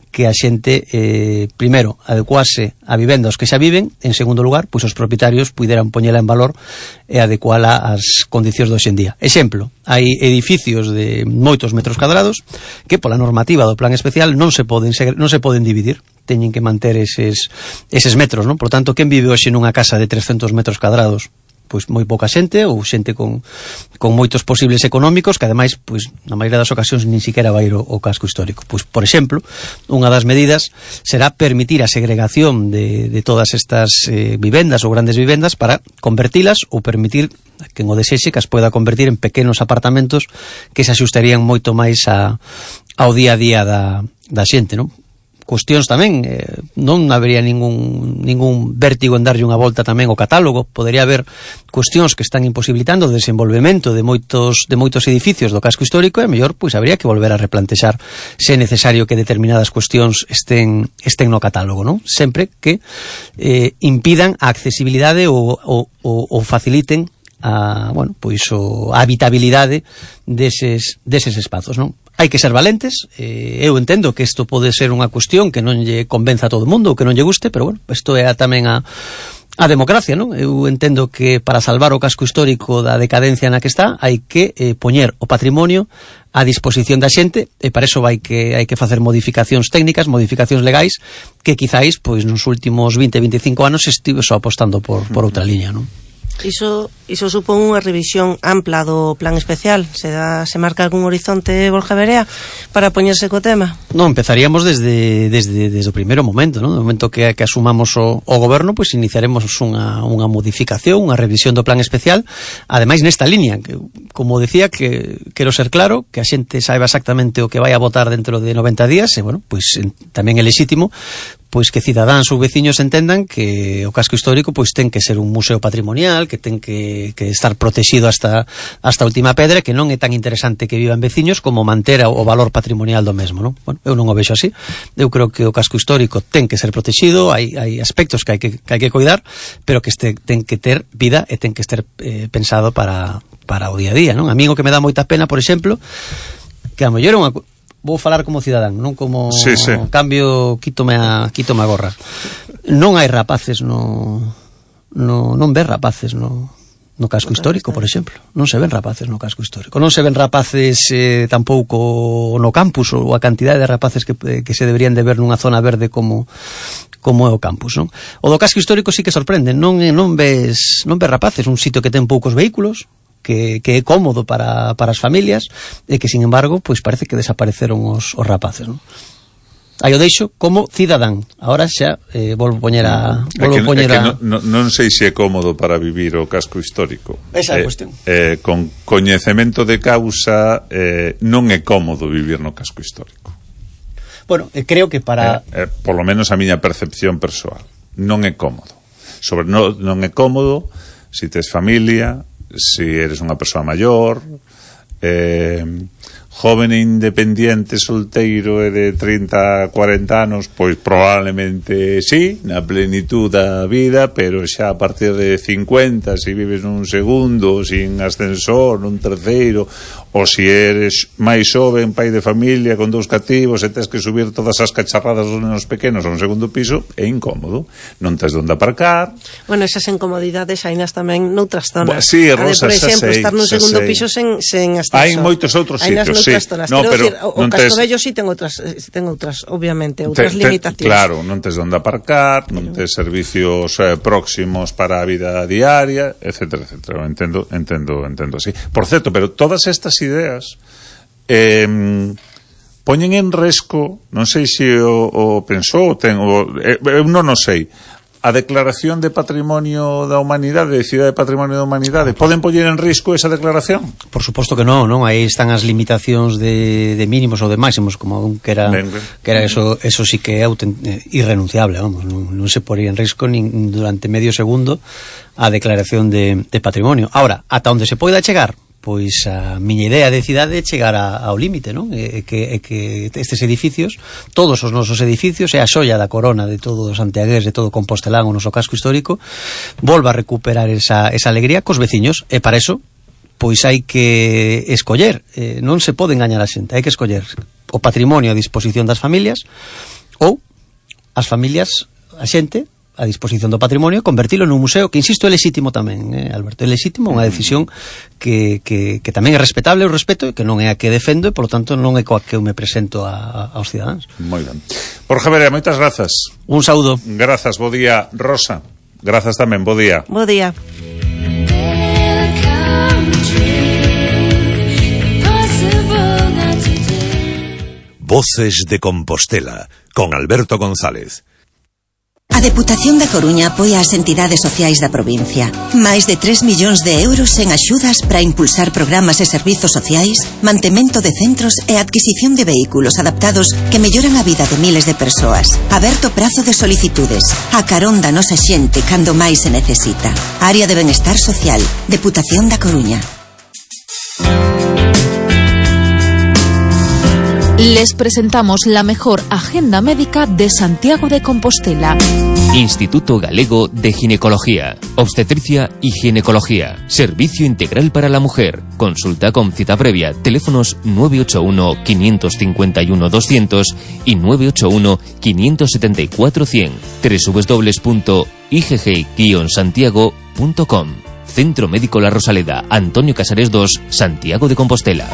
que a xente, eh, primeiro, adecuase a vivendas que xa viven, en segundo lugar, pois os propietarios puderan poñela en valor e adecuala ás condicións do hoxendía. Exemplo, hai edificios de moitos metros cadrados que pola normativa do plan especial non se poden non se poden dividir, teñen que manter eses, eses metros, non? Por tanto, quen vive hoxe nunha casa de trescentos metros cadrados? Pois moi pouca xente ou xente con, con moitos posibles económicos que ademais, pois na maioría das ocasións nin siquiera vai ir o, o casco histórico. Pois, por exemplo, unha das medidas será permitir a segregación de, de todas estas eh, vivendas ou grandes vivendas para convertilas ou permitir que en o desexe que as poida convertir en pequenos apartamentos que se axustarían moito máis a, ao día a día da, da xente, non? Cuestións tamén, eh, non habería ningún, ningún vértigo en darlle unha volta tamén ao catálogo. Podería haber cuestións que están imposibilitando o desenvolvemento de moitos, de moitos edificios do casco histórico e mellor pois habría que volver a replantexar se é necesario que determinadas cuestións estén, estén no catálogo, non? Sempre que eh, impidan a accesibilidade ou, ou, ou faciliten a, bueno, pois o, a habitabilidade deses, deses espazos, non? Hai que ser valentes, eh, eu entendo que isto pode ser unha cuestión que non lle convenza a todo o mundo ou que non lle guste, pero bueno, isto é tamén a, a democracia, non? Eu entendo que para salvar o casco histórico da decadencia na que está hai que eh, poñer o patrimonio a disposición da xente e para iso vai que hai que facer modificacións técnicas, modificacións legais que quizáis pois nos últimos vinte, veinticinco anos estive só apostando por, por outra liña, non? Iso, iso supón unha revisión ampla do plan especial. Se, da, se marca algún horizonte, Borja Verea, para poñerse co tema? Non, empezaríamos desde, desde, desde o primeiro momento, non? No momento que, que asumamos o, o goberno, pois iniciaremos unha, unha modificación, unha revisión do plan especial, ademais nesta liña, que, como decía, que quero ser claro, que a xente saiba exactamente o que vai a votar dentro de noventa días, e, bueno, pois tamén é lexítimo, pois que cidadáns ou veciños entendan que o casco histórico pois ten que ser un museo patrimonial, que ten que, que estar protegido hasta hasta a última pedra, que non é tan interesante que vivan veciños como manter o valor patrimonial do mesmo, non? Bueno, eu non o vexo así. Eu creo que o casco histórico ten que ser protegido, hai, hai aspectos que hai que, que hai que cuidar, pero que este ten que ter vida e ten que estar eh, pensado para, para o día a día, non? A mí o que me dá moita pena, por exemplo, que a mellor é unha... Vou falar como cidadán, non como sí, sí. Cambio, quítome a, quítome a gorra. Non hai rapaces no, no non ves rapaces no, no casco histórico, por exemplo. Non se ven rapaces no casco histórico. Non se ven rapaces eh, tampouco no campus, ou a cantidade de rapaces que, que se deberían de ver nunha zona verde como como é o campus, non? O do casco histórico sí que sorprende, non non ves non ves rapaces, un sitio que ten poucos vehículos, que, que é cómodo para, para as familias e que, sin embargo, pois parece que desapareceron os, os rapaces, non? Aí o deixo como cidadán. Ahora xa eh, volvo poñer a volvo é que, poñer é que a... non, non sei se é cómodo para vivir o casco histórico. Esa é a eh, cuestión. Eh, con coñecemento de causa eh, non é cómodo vivir no casco histórico. Bueno, eh, creo que para... Eh, eh, por lo menos a miña percepción persoal. Non é cómodo. Sobre non, non é cómodo se si tes familia, se si eres unha persoa maior, eh, joven e independiente, solteiro e de trinta a cuarenta anos, pois probablemente sí, na plenitud da vida, pero xa a partir de cincuenta, se vives nun segundo, sin ascensor, nun terceiro, ou se eres máis xoven, pai de familia, con dous cativos, e tes que subir todas as cacharradas dos nenos pequenos a un segundo piso, é incómodo. Non tes onde aparcar. Bueno, esas incomodidades hainas tamén noutras zonas. Bueno, sí, Rosa, por exemplo, sei, estar nun segundo piso sen, sen ascensor. Hai moitos outros sitios, sí. Zonas. No, pero decir, o, o Castobello tes... sí ten outras, ten outras, obviamente, outras te, te, limitacións. Claro, non tes onde aparcar, non tes servicios eh, próximos para a vida diaria, etcétera, etcétera. Entendo, entendo, entendo así. Por certo, pero todas estas ideas eh, poñen en risco, non sei se o, o pensou, ten, o, eh, eu non o sei, a declaración de patrimonio da humanidade, de Cidade de Patrimonio da Humanidade, poden poñer en risco esa declaración? Por suposto que non, non? Aí están as limitacións de, de mínimos ou de máximos, como un que era, ben, ben. que era eso, eso sí que é autent, eh, irrenunciable, vamos, non, non se pode ir en risco nin durante medio segundo a declaración de, de patrimonio. Ahora, ata onde se poida chegar, pois a miña idea de cidade é chegar a, ao límite, non? É que, é que estes edificios, todos os nosos edificios, é a xoia da corona de todo o santiagués, de todo o compostelán, o noso casco histórico, volva a recuperar esa, esa alegría cos veciños, e para eso pois hai que escoller, eh, non se pode engañar a xente, hai que escoller o patrimonio a disposición das familias ou as familias, a xente a disposición do patrimonio, convertilo nun museo, que insisto, é lexítimo tamén, eh, Alberto, é lexítimo, unha decisión que, que, que tamén é respetable, o respeto, que non é a que defendo, e, por lo tanto, non é coa que eu me presento a, a, aos cidadáns. Moi ben. Borja Verea, moitas grazas. Un saúdo. Grazas, bo día. Rosa, grazas tamén, bo día. Bo día. Voces de Compostela, con Alberto González. A Deputación da Coruña apoia as entidades sociais da provincia. Máis de tres millóns de euros en axudas para impulsar programas e servizos sociais, mantemento de centros e adquisición de vehículos adaptados que melloran a vida de miles de persoas. Aberto prazo de solicitudes. A carón da nosa xente cando máis se necesita. Área de Benestar Social. Deputación da Coruña. Les presentamos la mejor agenda médica de Santiago de Compostela. Instituto Galego de Ginecología, Obstetricia y Ginecología. Servicio integral para la mujer. Consulta con cita previa. Teléfonos nueve ocho uno, cinco cinco uno, doscientos y nueve ocho uno, cinco siete cuatro, cien. doble u doble u doble u punto i g g guion santiago punto com. Centro Médico La Rosaleda, Antonio Casares dos, Santiago de Compostela.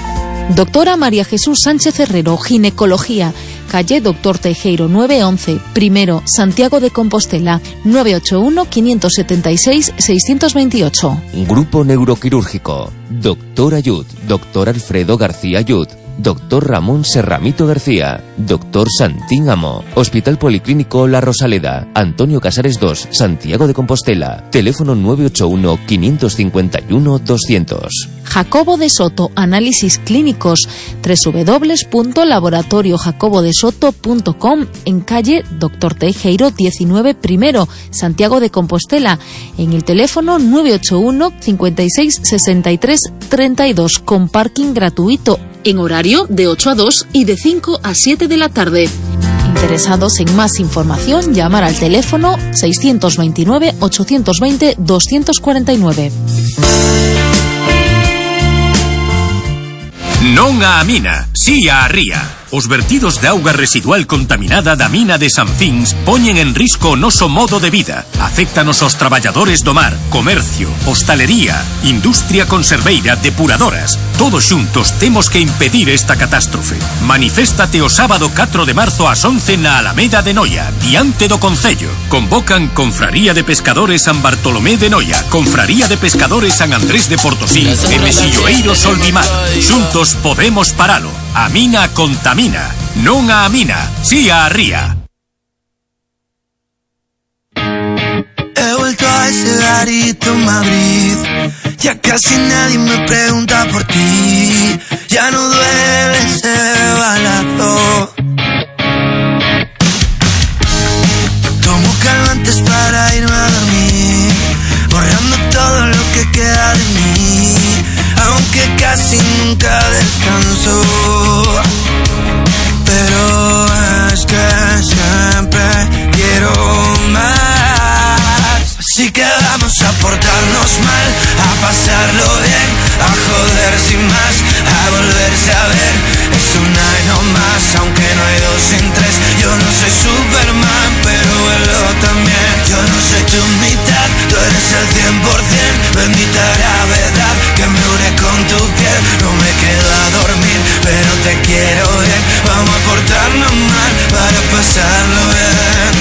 Doctora María Jesús Sánchez Herrero, Ginecología, calle Doctor Teijeiro nueve once, primero, Santiago de Compostela, nueve ocho uno, cinco siete seis, seis dos ocho. Grupo Neuroquirúrgico, Doctor Ayud, Doctor Alfredo García Ayud, Doctor Ramón Serramito García, Doctor Santín Amo, Hospital Policlínico La Rosaleda, Antonio Casares dos, Santiago de Compostela, teléfono nueve ocho uno, cinco cinco uno, doscientos. Jacobo de Soto, análisis clínicos, doble u doble u doble u punto laboratorio jacobo de soto punto com, en calle Doctor Teijeiro diecinueve primero, Santiago de Compostela, en el teléfono nueve ocho uno, cincuenta y seis, sesenta y tres, treinta y dos, con parking gratuito, en horario de ocho a dos y de cinco a siete de la tarde. Interesados en más información, llamar al teléfono seiscientos veintinueve, ochocientos veinte, doscientos cuarenta y nueve. Non a mina, si a ría. Os vertidos de auga residual contaminada da mina de Sanfins poñen en risco o noso modo de vida. Afectanos aos traballadores do mar, comercio, hostalería, industria conserveira, depuradoras. Todos xuntos temos que impedir esta catástrofe. Maniféstate o sábado catro de marzo ás once na Alameda de Noia, diante do Concello. Convocan Confraría de Pescadores San Bartolomé de Noia, Confraría de Pescadores San Andrés de Portosí e Mexilloeiro Solvimar. Xuntos podemos paralo. A mina contamina, non a mina, si a ría. He vuelto a ese garito en Madrid, ya casi nadie me pregunta por ti, ya no duele ese balazo. Tomo calmantes para irme a dormir, borrando todo lo que queda de mí, aunque casi nunca descanso. que vamos a portarnos mal, a pasarlo bien, a joder sin más, a volverse a ver. Es una y no más, aunque no hay dos sin tres. Yo no soy Superman, pero vuelo también. Yo no soy tu mitad, tú eres el cien por cien. Bendita gravedad que me une con tu piel. No me queda dormir, pero te quiero bien. Vamos a portarnos mal para pasarlo bien.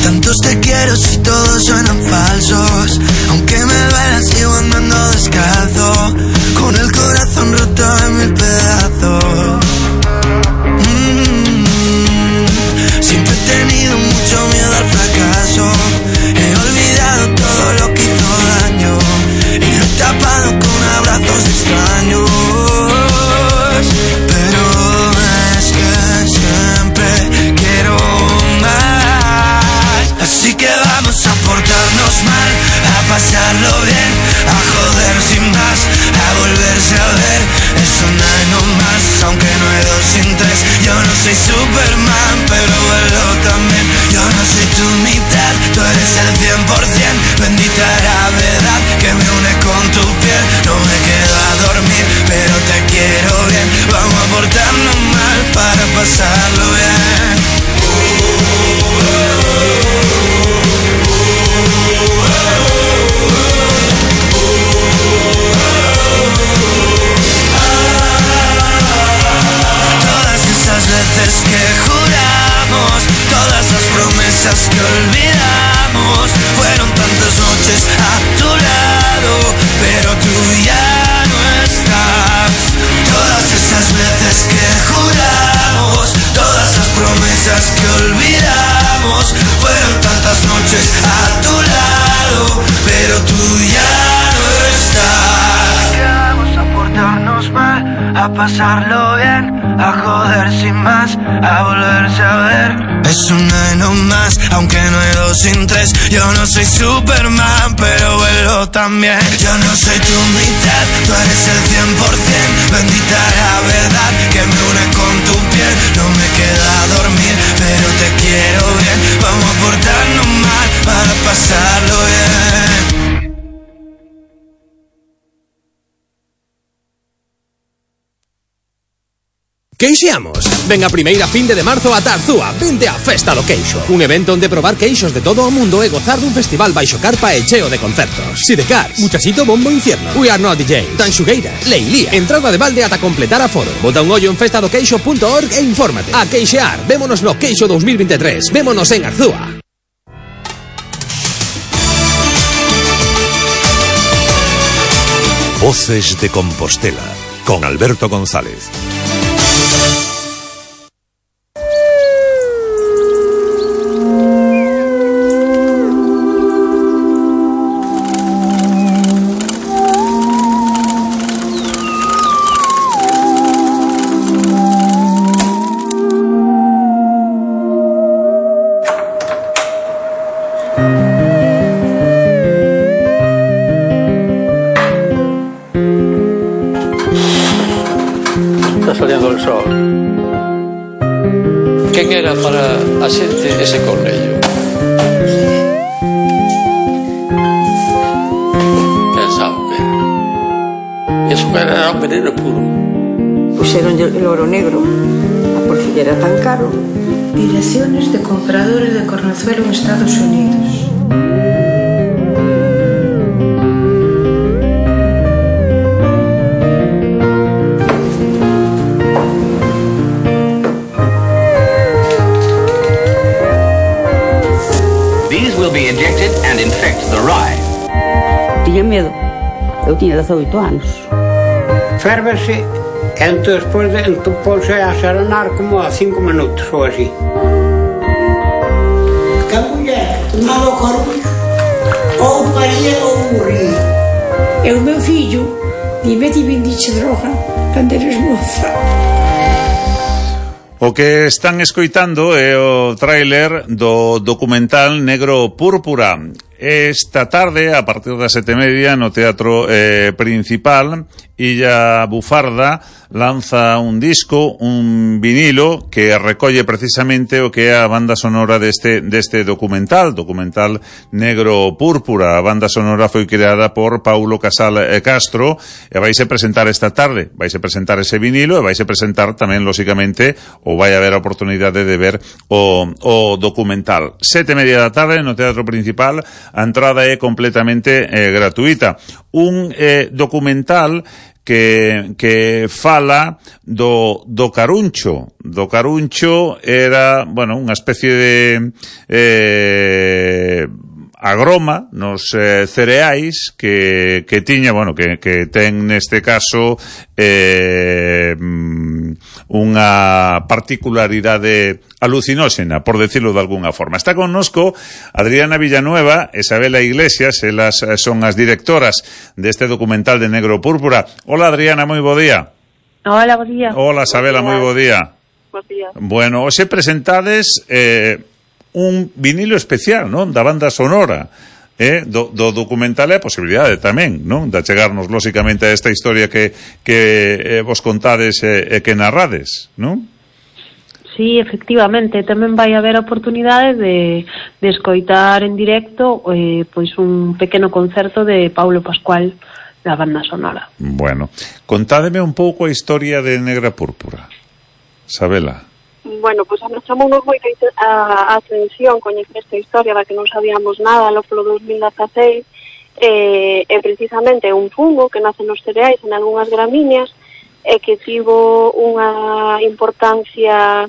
Tantos te quiero si todos suenan falsos. Aunque me duela sigo andando descalzo, con el corazón roto en mil pedazos. mm-hmm. Siempre he tenido mucho miedo al fracaso. He olvidado todo lo que hizo daño y lo he tapado con abrazos extraños. Pero es que siempre quiero más. Así que vamos a portarnos mal, a pasarlo bien, a joder sin más, a volverse a ver. Es una y no más, aunque no hay dos sin tres. Yo no soy Superman, pero vuelo también. Yo no soy tu mitad, tú eres el cien por cien. Bendita gravedad que me une con tu piel. No me quedo a dormir, pero te quiero bien. Vamos a portarnos mal para pasarlo bien. Todas esas veces que juramos, todas las promesas que olvidamos, fueron tantas noches a tu lado, pero tú ya no estás. Todas esas veces que juramos, todas las promesas que olvidamos, fueron tantas noches a tu lado, pero tú ya no estás. Vamos a portarnos mal, a pasarlo bien, a joder sin más, a volverse a ver. Es una y no más, aunque no hay dos sin tres. Yo no soy Superman, pero vuelo también. Yo no soy tu mitad, tú eres el cien por cien. Bendita gravedad que me une con tu piel. No me queda dormir, pero te quiero bien. Vamos a portarnos mal para pasarlo bien. Queixeamos. Ven a primeira finde de marzo a Tarzúa. Vente a Festa do Queixo, un evento onde probar queixos de todo o mundo e gozar dun festival baixo carpa e cheo de concertos. Sidecar, Muchachito, Bombo Infierno, We Are Not D J, Tanxugueiras, Leilía. Entrada de balde ata completar a foro. Bota un ollo en festa do queixo punto org e infórmate. A queixear. Vémonos no Queixo dos mil veintitrés. Vémonos en Arzúa. Voces de Compostela con Alberto González. Saliendo el sol. Quen era para a xente ese cornello? Pensaba que era. Eso que era un veneno puro. Puxeron el oro negro, a por si era tan caro. Direcciones de compradores de cornezuelo en Estados Unidos. Be injected and infect the rye. Tiña medo. Eu tiña dezoito anos. Férvese e entón despois de entón pose a serenar como a cinco minutos ou así. Que a muller tomaba o corpus ou paría ou morría. E o meu fillo dime ti vendiche droga cando eres moza. O que están escoitando é o tráiler do documental Negro Púrpura. esta tarde, a partir das sete e media, no Teatro eh, Principal, Illa Bufarda lanza un disco, un vinilo que recolle precisamente o que é a banda sonora deste deste documental, documental Negro Púrpura. A banda sonora foi creada por Paulo Casal Castro e vaise presentar esta tarde, vaise presentar ese vinilo e vaise presentar tamén, lóxicamente, ou vai haber a oportunidade de ver o, o documental. Sete e media da tarde no Teatro Principal, a entrada é completamente eh, gratuita. Un eh, documental que que fala do do caruncho. Do caruncho era, bueno, unha especie de eh agroma nos eh, cereais que, que tiña, bueno, que, que ten neste caso eh, unha particularidade alucinóxena, por decirlo de alguna forma. Está connosco Adriana Villanueva e Isabela Iglesias, elas son as directoras deste documental de Negro Púrpura. Hola, Adriana, moi bo día. Hola, bo día. Hola, Isabela, moi bo día. Bo día. Bueno, hoxe presentades eh, un vinilo especial, non? Da banda sonora, eh? do, do documental e a posibilidade tamén, non? De chegarnos, lóxicamente, a esta historia que, que eh, vos contades e eh, que narrades, non? Sí, efectivamente, tamén vai haber a oportunidade de, de escoitar en directo eh, pois un pequeno concerto de Paulo Pascual da banda sonora. Bueno, contádeme un pouco a historia de Negra Púrpura, Isabela. Bueno, pois pues, a nos chamounos moita a, a atención coñecer esta historia da que non sabíamos nada lo polo dos mil dezaseis eh, e precisamente un fungo que nace nos cereais en algunhas gramíneas e que tivo unha importancia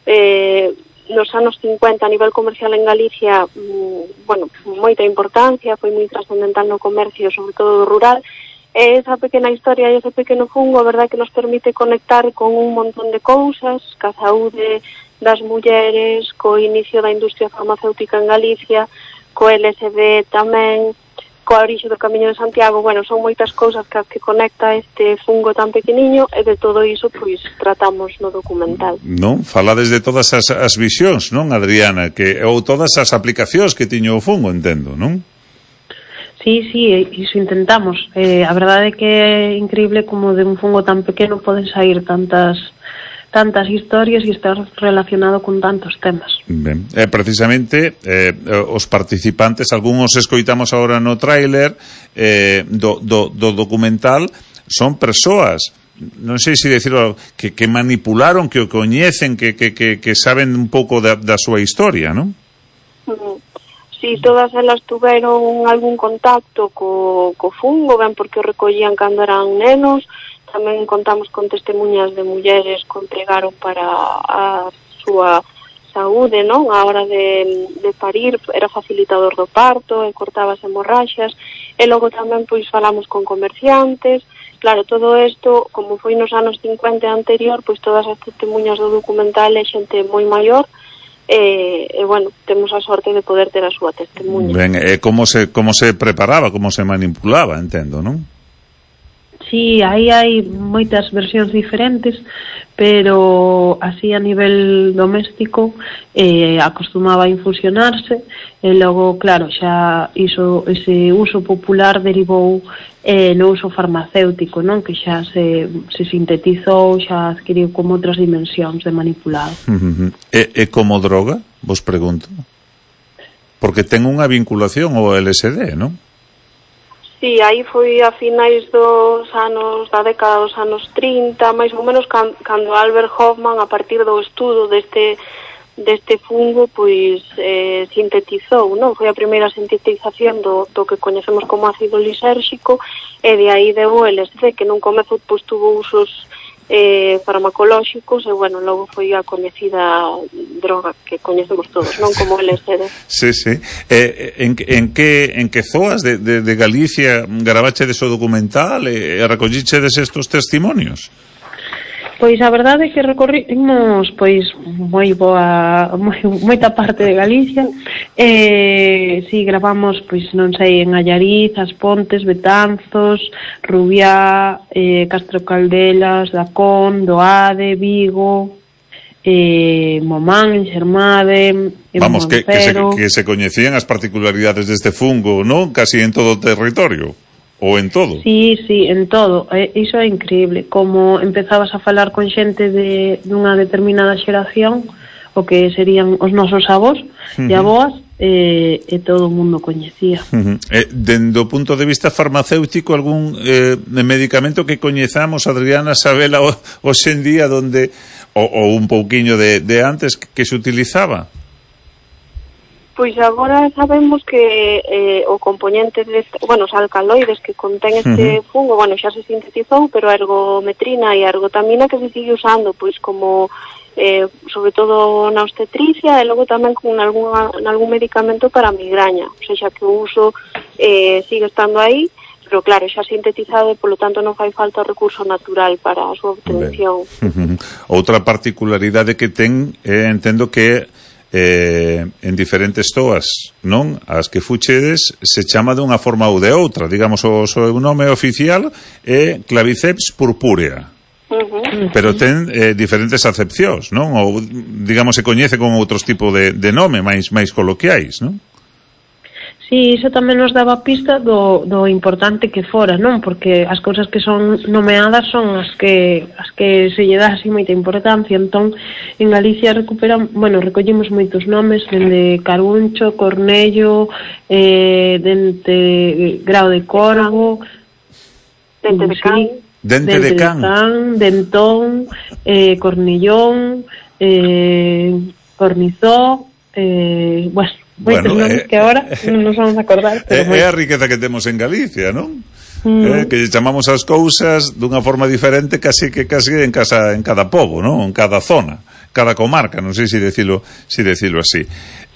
eh, nos anos cincuenta a nivel comercial en Galicia, mm, bueno, moita importancia, foi moi trascendental no comercio, sobre todo rural. E esa pequena historia e ese pequeno fungo, a verdade que nos permite conectar con un montón de cousas, ca saúde das mulleres, co inicio da industria farmacéutica en Galicia, co L S D tamén, coa orixe do Camiño de Santiago. Bueno, son moitas cousas que, que conecta este fungo tan pequeniño e de todo iso, pois, tratamos no documental. Non? Falades de todas as, as visións, non, Adriana? Que, ou todas as aplicacións que tiño o fungo, entendo, non? Sí, sí, iso intentamos. Eh, a verdade é que é increíble como de un fungo tan pequeno poden sair tantas tantas historias e estar relacionado con tantos temas. Ben, eh, precisamente eh, os participantes, algúns escoitamos agora no tráiler eh, do, do, do documental, son persoas, non sei se decirlo, que, que manipularon, que o coñecen, que, que, que, que saben un pouco da, da súa historia, non? Uh-huh. Sí, todas elas tuveron algún contacto co, co fungo, ben porque o recollían cando eran nenos. Tamén contamos con testemunhas de mulleres que entregaron para a súa saúde, non? A hora de, de parir, era facilitador do parto, e cortaba as hemorraxas. E logo tamén, pois, falamos con comerciantes. Claro, todo isto, como foi nos anos cincuenta anterior, pois todas as testemunhas do documental é xente moi maior. E, e bueno, temos a sorte de poder ter a súa testemunha. Ben, e como se, como se preparaba, como se manipulaba, entendo, non? Sí, aí hai moitas versións diferentes, pero así a nivel doméstico eh, acostumaba a infusionarse e logo, claro, xa iso, ese uso popular derivou eh, no uso farmacéutico, non? Que xa se, se sintetizou, xa adquiriu como outras dimensións de manipulado. Uh-huh. E, e como droga, vos pregunto? Porque ten unha vinculación ao L S D, non? Sí, aí foi a finais dos anos, da década dos anos trinta, máis ou menos can, cando Albert Hoffman, a partir do estudo deste deste fungo, pois eh, sintetizou, non? Foi a primeira sintetización do, do que coñecemos como ácido lisérxico, e de aí deu o L S D, que nun comezo pois tuvo usos eh, farmacolóxicos, e bueno, logo foi a coñecida droga que coñecemos todos, non? Como L S D. Sí, sí. Eh, en, en que en que zoas de, de, de Galicia gravache de so documental e, e recollichedes estos testimonios? Pois a verdade é que recorrimos pois moi boa, moi, moita parte de Galicia. Eh, si gravamos, pois non sei, en Allariz, As Pontes, Betanzos, Rubiá, eh, Castro Caldelas, Dacón, Doade, Vigo, eh, Momán, en Xermade, en Vamos, que, que, se, Montero. que se coñecían as particularidades deste fungo, non? Casi en todo o territorio, ou en todo. Sí, sí, en todo. Eh, iso é increíble. Como empezabas a falar con xente de, dunha determinada xeración, o que serían os nosos avós uh-huh. e aboas, eh, e todo o mundo coñecía. Uh-huh. Eh, dende o punto de vista farmacéutico, algún eh, medicamento que coñezamos, Adriana Sabela, hoxe en día, donde ou, ou un pouquiño de, de antes, que, que se utilizaba? Pois agora sabemos que eh, o componente deste, bueno, os alcaloides que contén este uh-huh. fungo, bueno, xa se sintetizou, pero a ergometrina e a ergotamina que se sigue usando, pois como eh, sobre todo na obstetricia e logo tamén con algún, algún medicamento para a migraña, ou seja, que o uso eh, sigue estando aí, pero claro, xa sintetizado e polo tanto non fai falta o recurso natural para a súa obtención. Uh-huh. Outra particularidade que ten, eh, entendo que eh, en diferentes toas, non? As que fuchedes se chama de unha forma ou de outra, digamos, o seu nome oficial é Claviceps purpúrea. Uh-huh. Pero ten eh, diferentes acepcións, non? Ou, digamos, se coñece con outros tipos de, de nome máis máis coloquiais, non? Sí, iso tamén nos daba pista do, do importante que fora, non? Porque as cousas que son nomeadas son as que as que se lle dá así moita importancia. Entón, en Galicia recuperan, bueno, recollimos moitos nomes, dende Caruncho, Cornello, eh, dente Grao de Corvo, dente de Can, dente de Can, can Dentón, eh, Cornillón, eh, Cornizó, eh, bueno, moitos bueno, nomes eh, que agora non nos vamos a acordar, pero é, é a riqueza que temos en Galicia, non? Mm. Eh, que chamamos as cousas dunha forma diferente, casi que casi en casa en cada pobo, non? En cada zona, cada comarca, non sei se decilo, se decilo así.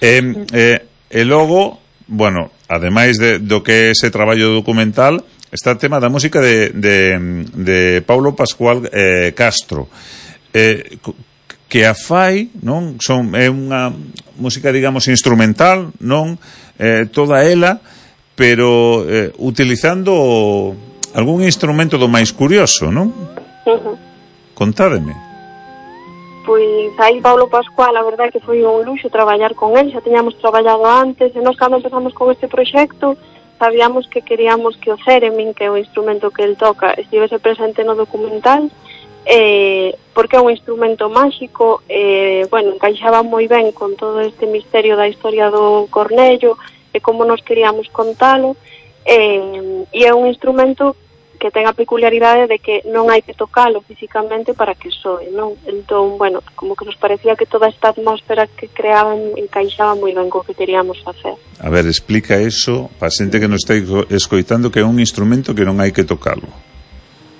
Eh, eh, e logo, bueno, ademais de, do que é ese traballo documental, está o tema da música de, de, de Paulo Pascual eh, Castro. Eh, que a fai, non? Son, é unha música, digamos, instrumental, non? Eh, toda ela, pero eh, utilizando algún instrumento do máis curioso, non? Uh-huh. Contádeme. Pois aí Paulo Pascual, a verdade que foi un luxo traballar con él, xa tiñamos traballado antes, e nós cando empezamos con este proxecto, sabíamos que queríamos que o theremin, que é o instrumento que el toca, estivese presente no documental, eh, porque é un instrumento máxico, eh, bueno, encaixaba moi ben con todo este misterio da historia do cornello e como nos queríamos contalo, eh, e é un instrumento que ten a peculiaridade de que non hai que tocalo físicamente para que soe, non? Entón, bueno, como que nos parecía que toda esta atmósfera que creaban encaixaba moi ben co que queríamos facer. A ver, explica eso para xente que nos está escoitando, que é un instrumento que non hai que tocalo.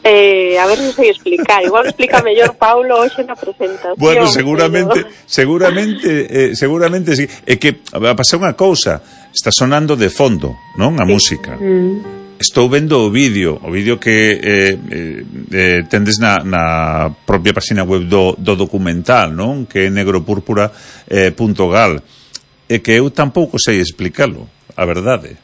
Eh, a ver se sei explicar. Igual explica mellor Paulo hoxe na presentación. Bueno, seguramente, pero... seguramente, eh, seguramente sí. É que va a pasar unha cousa, está sonando de fondo, non? A sí. música. Mm. Estou vendo o vídeo, o vídeo que eh, eh, tendes na, na propia página web do, do documental, non? Que é negropúrpura punto gal. E que eu tampouco sei explicalo, a verdade.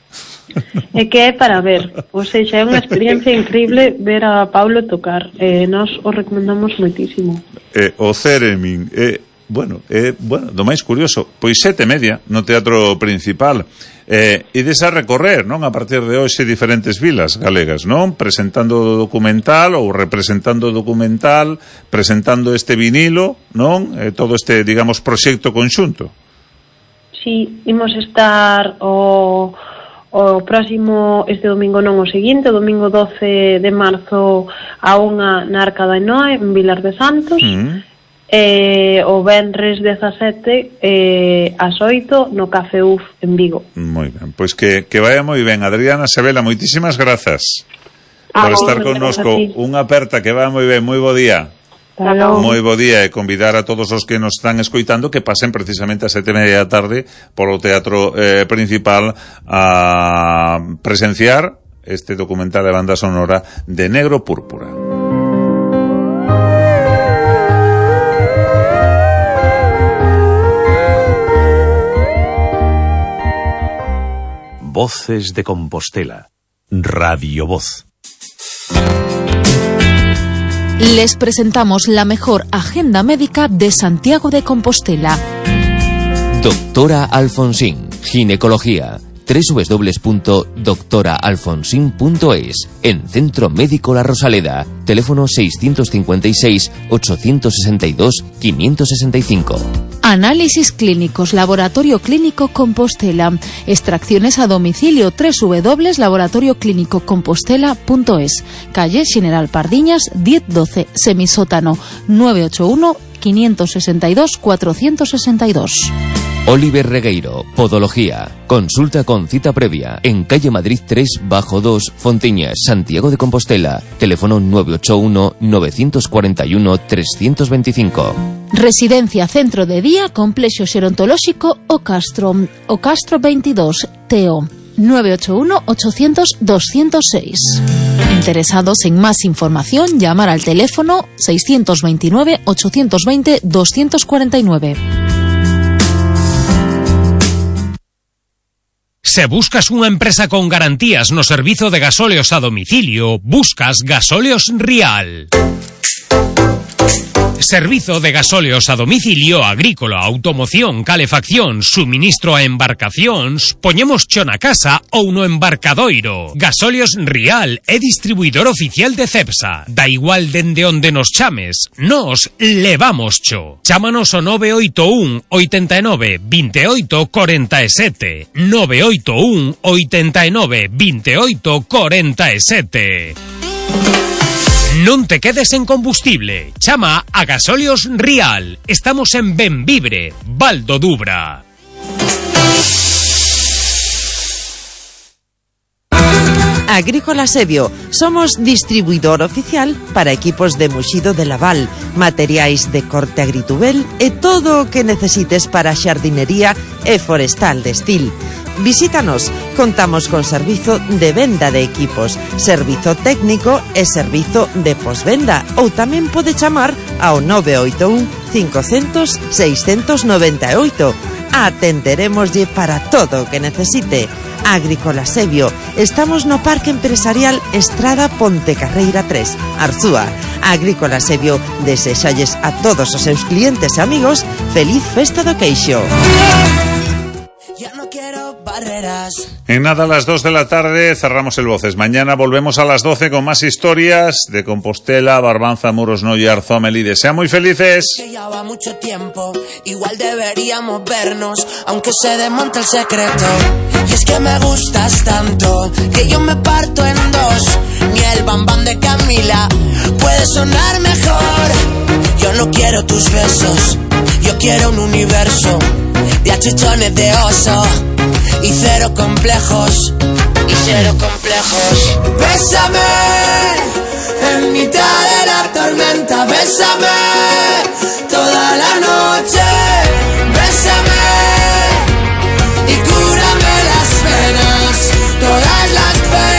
É que é para ver, ou seja, é unha experiencia increíble ver a Paulo tocar, eh, nós o recomendamos moitísimo. Eh, o theremin, eh, bueno, eh, bueno, do máis curioso, pois sete e media no Teatro Principal, eh, ides a recorrer, non, a partir de hoxe diferentes vilas galegas, non, presentando o documental ou representando o documental, presentando este vinilo, non, eh, todo este, digamos, proxecto conxunto. Sí, imos estar o... o próximo, este domingo non, o seguinte, o domingo doce de marzo a unha na Arca da Noé en Vilar de Santos, mm. e o venres dezasete eh, ás oito no Café U F en Vigo. Moi ben, pois que, que vaya moi ben. Adriana Sabela, moitísimas grazas ah, por estar connosco. Unha aperta, que vaya moi ben, moi bo día. Claro. Moi bo día, e convidar a todos os que nos están escoitando que pasen precisamente a sete e media da tarde polo Teatro eh, Principal a presenciar este documental de banda sonora de Negro Púrpura. Voces de Compostela. Radio Voz. Les presentamos la mejor agenda médica de Santiago de Compostela. Doctora Alfonsín, ginecología. doble u doble u doble u punto doctora alfonsín punto es. En Centro Médico La Rosaleda. Teléfono seiscientos cincuenta y seis, ochocientos sesenta y dos, quinientos sesenta y cinco. Análisis clínicos, Laboratorio Clínico Compostela. Extracciones a domicilio, doble u doble u doble u punto laboratorio clínico compostela punto es. Calle General Pardiñas, diez doce, semisótano, nueve ocho uno, quinientos sesenta y dos, cuatrocientos sesenta y dos. Oliver Regueiro, Podología. Consulta con cita previa en calle Madrid tres bajo dos, Fontiñas, Santiago de Compostela. Teléfono nueve ocho uno, nueve cuatro uno, tres dos cinco. Residencia Centro de Día Complexo Xerontolóxico O Castro. O Castro veintidós, Teo. nueve ocho uno, ochocientos, doscientos seis. Interesados en más información, llamar al teléfono seiscientos veintinueve, ochocientos veinte, doscientos cuarenta y nueve. Se buscas unha empresa con garantías no servizo de gasóleos a domicilio, buscas Gasóleos Rial. Servizo de gasóleos a domicilio agrícola, automoción, calefacción, suministro a embarcacións, poñemos cho na casa ou no embarcadoiro. Gasóleos Rial é distribuidor oficial de Cepsa. Da igual dende onde nos chames, nos levamos cho. Chámanos o nove oito un, oitenta e nove, veintioito, cuarenta y siete. nove oito un, oitenta e nove, veintioito, cuarenta y siete. Non te quedes en combustible. Chama a Gasóleos Rial. Estamos en Benvibre, Val do Dubra. Agrícola Sebio. Somos distribuidor oficial para equipos de muxido de Laval, materiais de corte agritubel e todo o que necesites para xardinería e forestal de Estil. Visítanos, contamos con servizo de venda de equipos, servizo técnico e servizo de posvenda, ou tamén pode chamar ao nove oito un, cinco cero cero, seis nove oito. Atenderemoslle para todo o que necesite. Agrícola Sebio. Estamos no Parque Empresarial Estrada Pontecarreira tres, Arzúa. Agrícola Sebio desexalles a todos os seus clientes e amigos feliz festa do queixo. En nada, a las dos de la tarde cerramos el Voces. Mañana volvemos a las doce con más historias de Compostela, Barbanza, Muros, Noia, Arzúa, Melide. ¡Sean muy felices! Que ya va mucho tiempo, igual deberíamos vernos, aunque se desmonte el secreto. Y es que me gustas tanto, que yo me parto en dos. Ni el bambán de Camila puede sonar mejor. Yo no quiero tus besos, yo quiero un universo de achichones de oso y cero complejos, y cero complejos. Bésame en mitad de la tormenta, bésame toda la noche, bésame y cúrame las penas, todas las penas.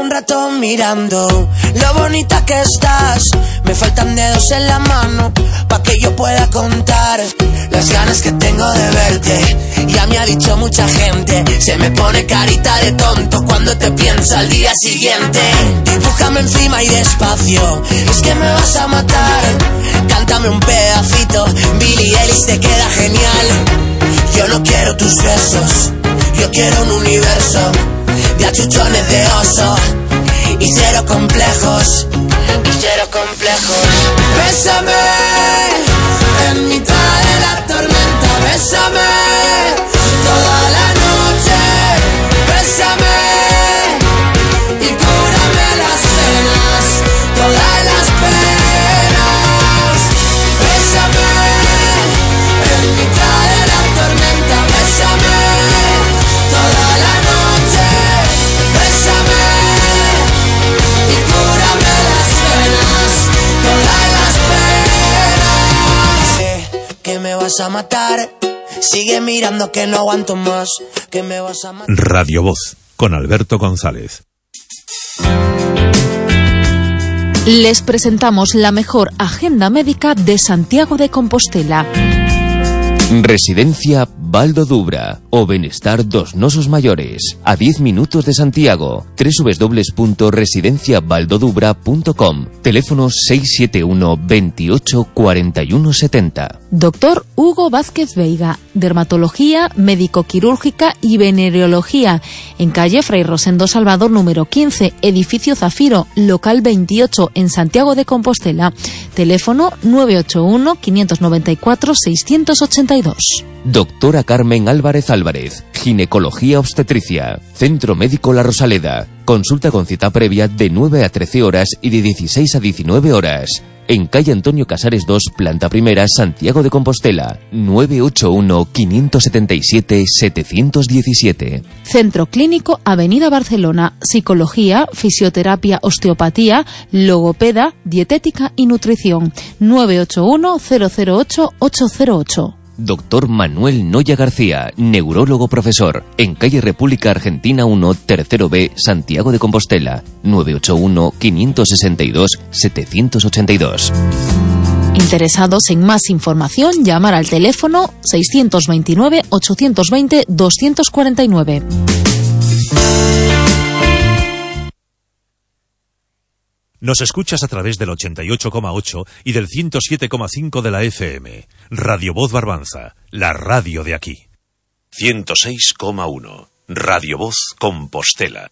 Rato mirando lo bonita que estás. Me faltan dedos en la mano pa' que yo pueda contar las ganas que tengo de verte. Ya me ha dicho mucha gente, se me pone carita de tonto cuando te piensa al día siguiente. Dibújame encima y despacio, es que me vas a matar. Cántame un pedacito, Billie Eilish te queda genial. Yo no quiero tus besos, yo quiero un universo de achuchones de oso y cero complejos, y cero complejos. Bésame en mitad de la tormenta, bésame toda la noche, bésame y cúrame las penas, todas las penas. Bésame en mitad de la tormenta, bésame toda la noche, bésame y cúrame las penas, todas las penas. Eh, que me vas a matar, sigue mirando que no aguanto más, que me vas a matar. Radio Voz, con Alberto González. Les presentamos la mejor agenda médica de Santiago de Compostela. Residencia Valdo Dubra, o benestar dos nosos maiores, a diez minutos de Santiago. doble u doble u doble u punto residencia valdo dubra punto com. Teléfono seis siete uno, veintiocho, cuarenta y uno setenta. Doctor Hugo Vázquez Veiga, dermatología, médico-quirúrgica y venereología, en calle Fray Rosendo Salvador número quince, edificio Zafiro, local veintiocho, en Santiago de Compostela. Teléfono nueve ocho uno, quinientos noventa y cuatro, seiscientos ochenta y dos. Doctora Carmen Álvarez Álvarez, ginecología obstetricia, Centro Médico La Rosaleda. Consulta con cita previa de nueve a trece horas y de dieciséis a diecinueve horas. En calle Antonio Casares dos, planta primera, Santiago de Compostela. nueve ocho uno, quinientos setenta y siete, setecientos diecisiete. Centro Clínico Avenida Barcelona. Psicología, fisioterapia, osteopatía, logopeda, dietética y nutrición. nueve ocho uno, cero cero ocho, ocho cero ocho. Doctor Manuel Noya García, neurólogo profesor, en calle República Argentina uno, tercero B, Santiago de Compostela. nueve ocho uno, quinientos sesenta y dos, setecientos ochenta y dos. Interesados en más información, llamar al teléfono seiscientos veintinueve, ochocientos veinte, doscientos cuarenta y nueve. Nos escuchas a través del ochenta y ocho coma ocho y del ciento siete coma cinco de la F M. Radio Voz Barbanza, la radio de aquí. ciento seis coma uno. Radio Voz Compostela.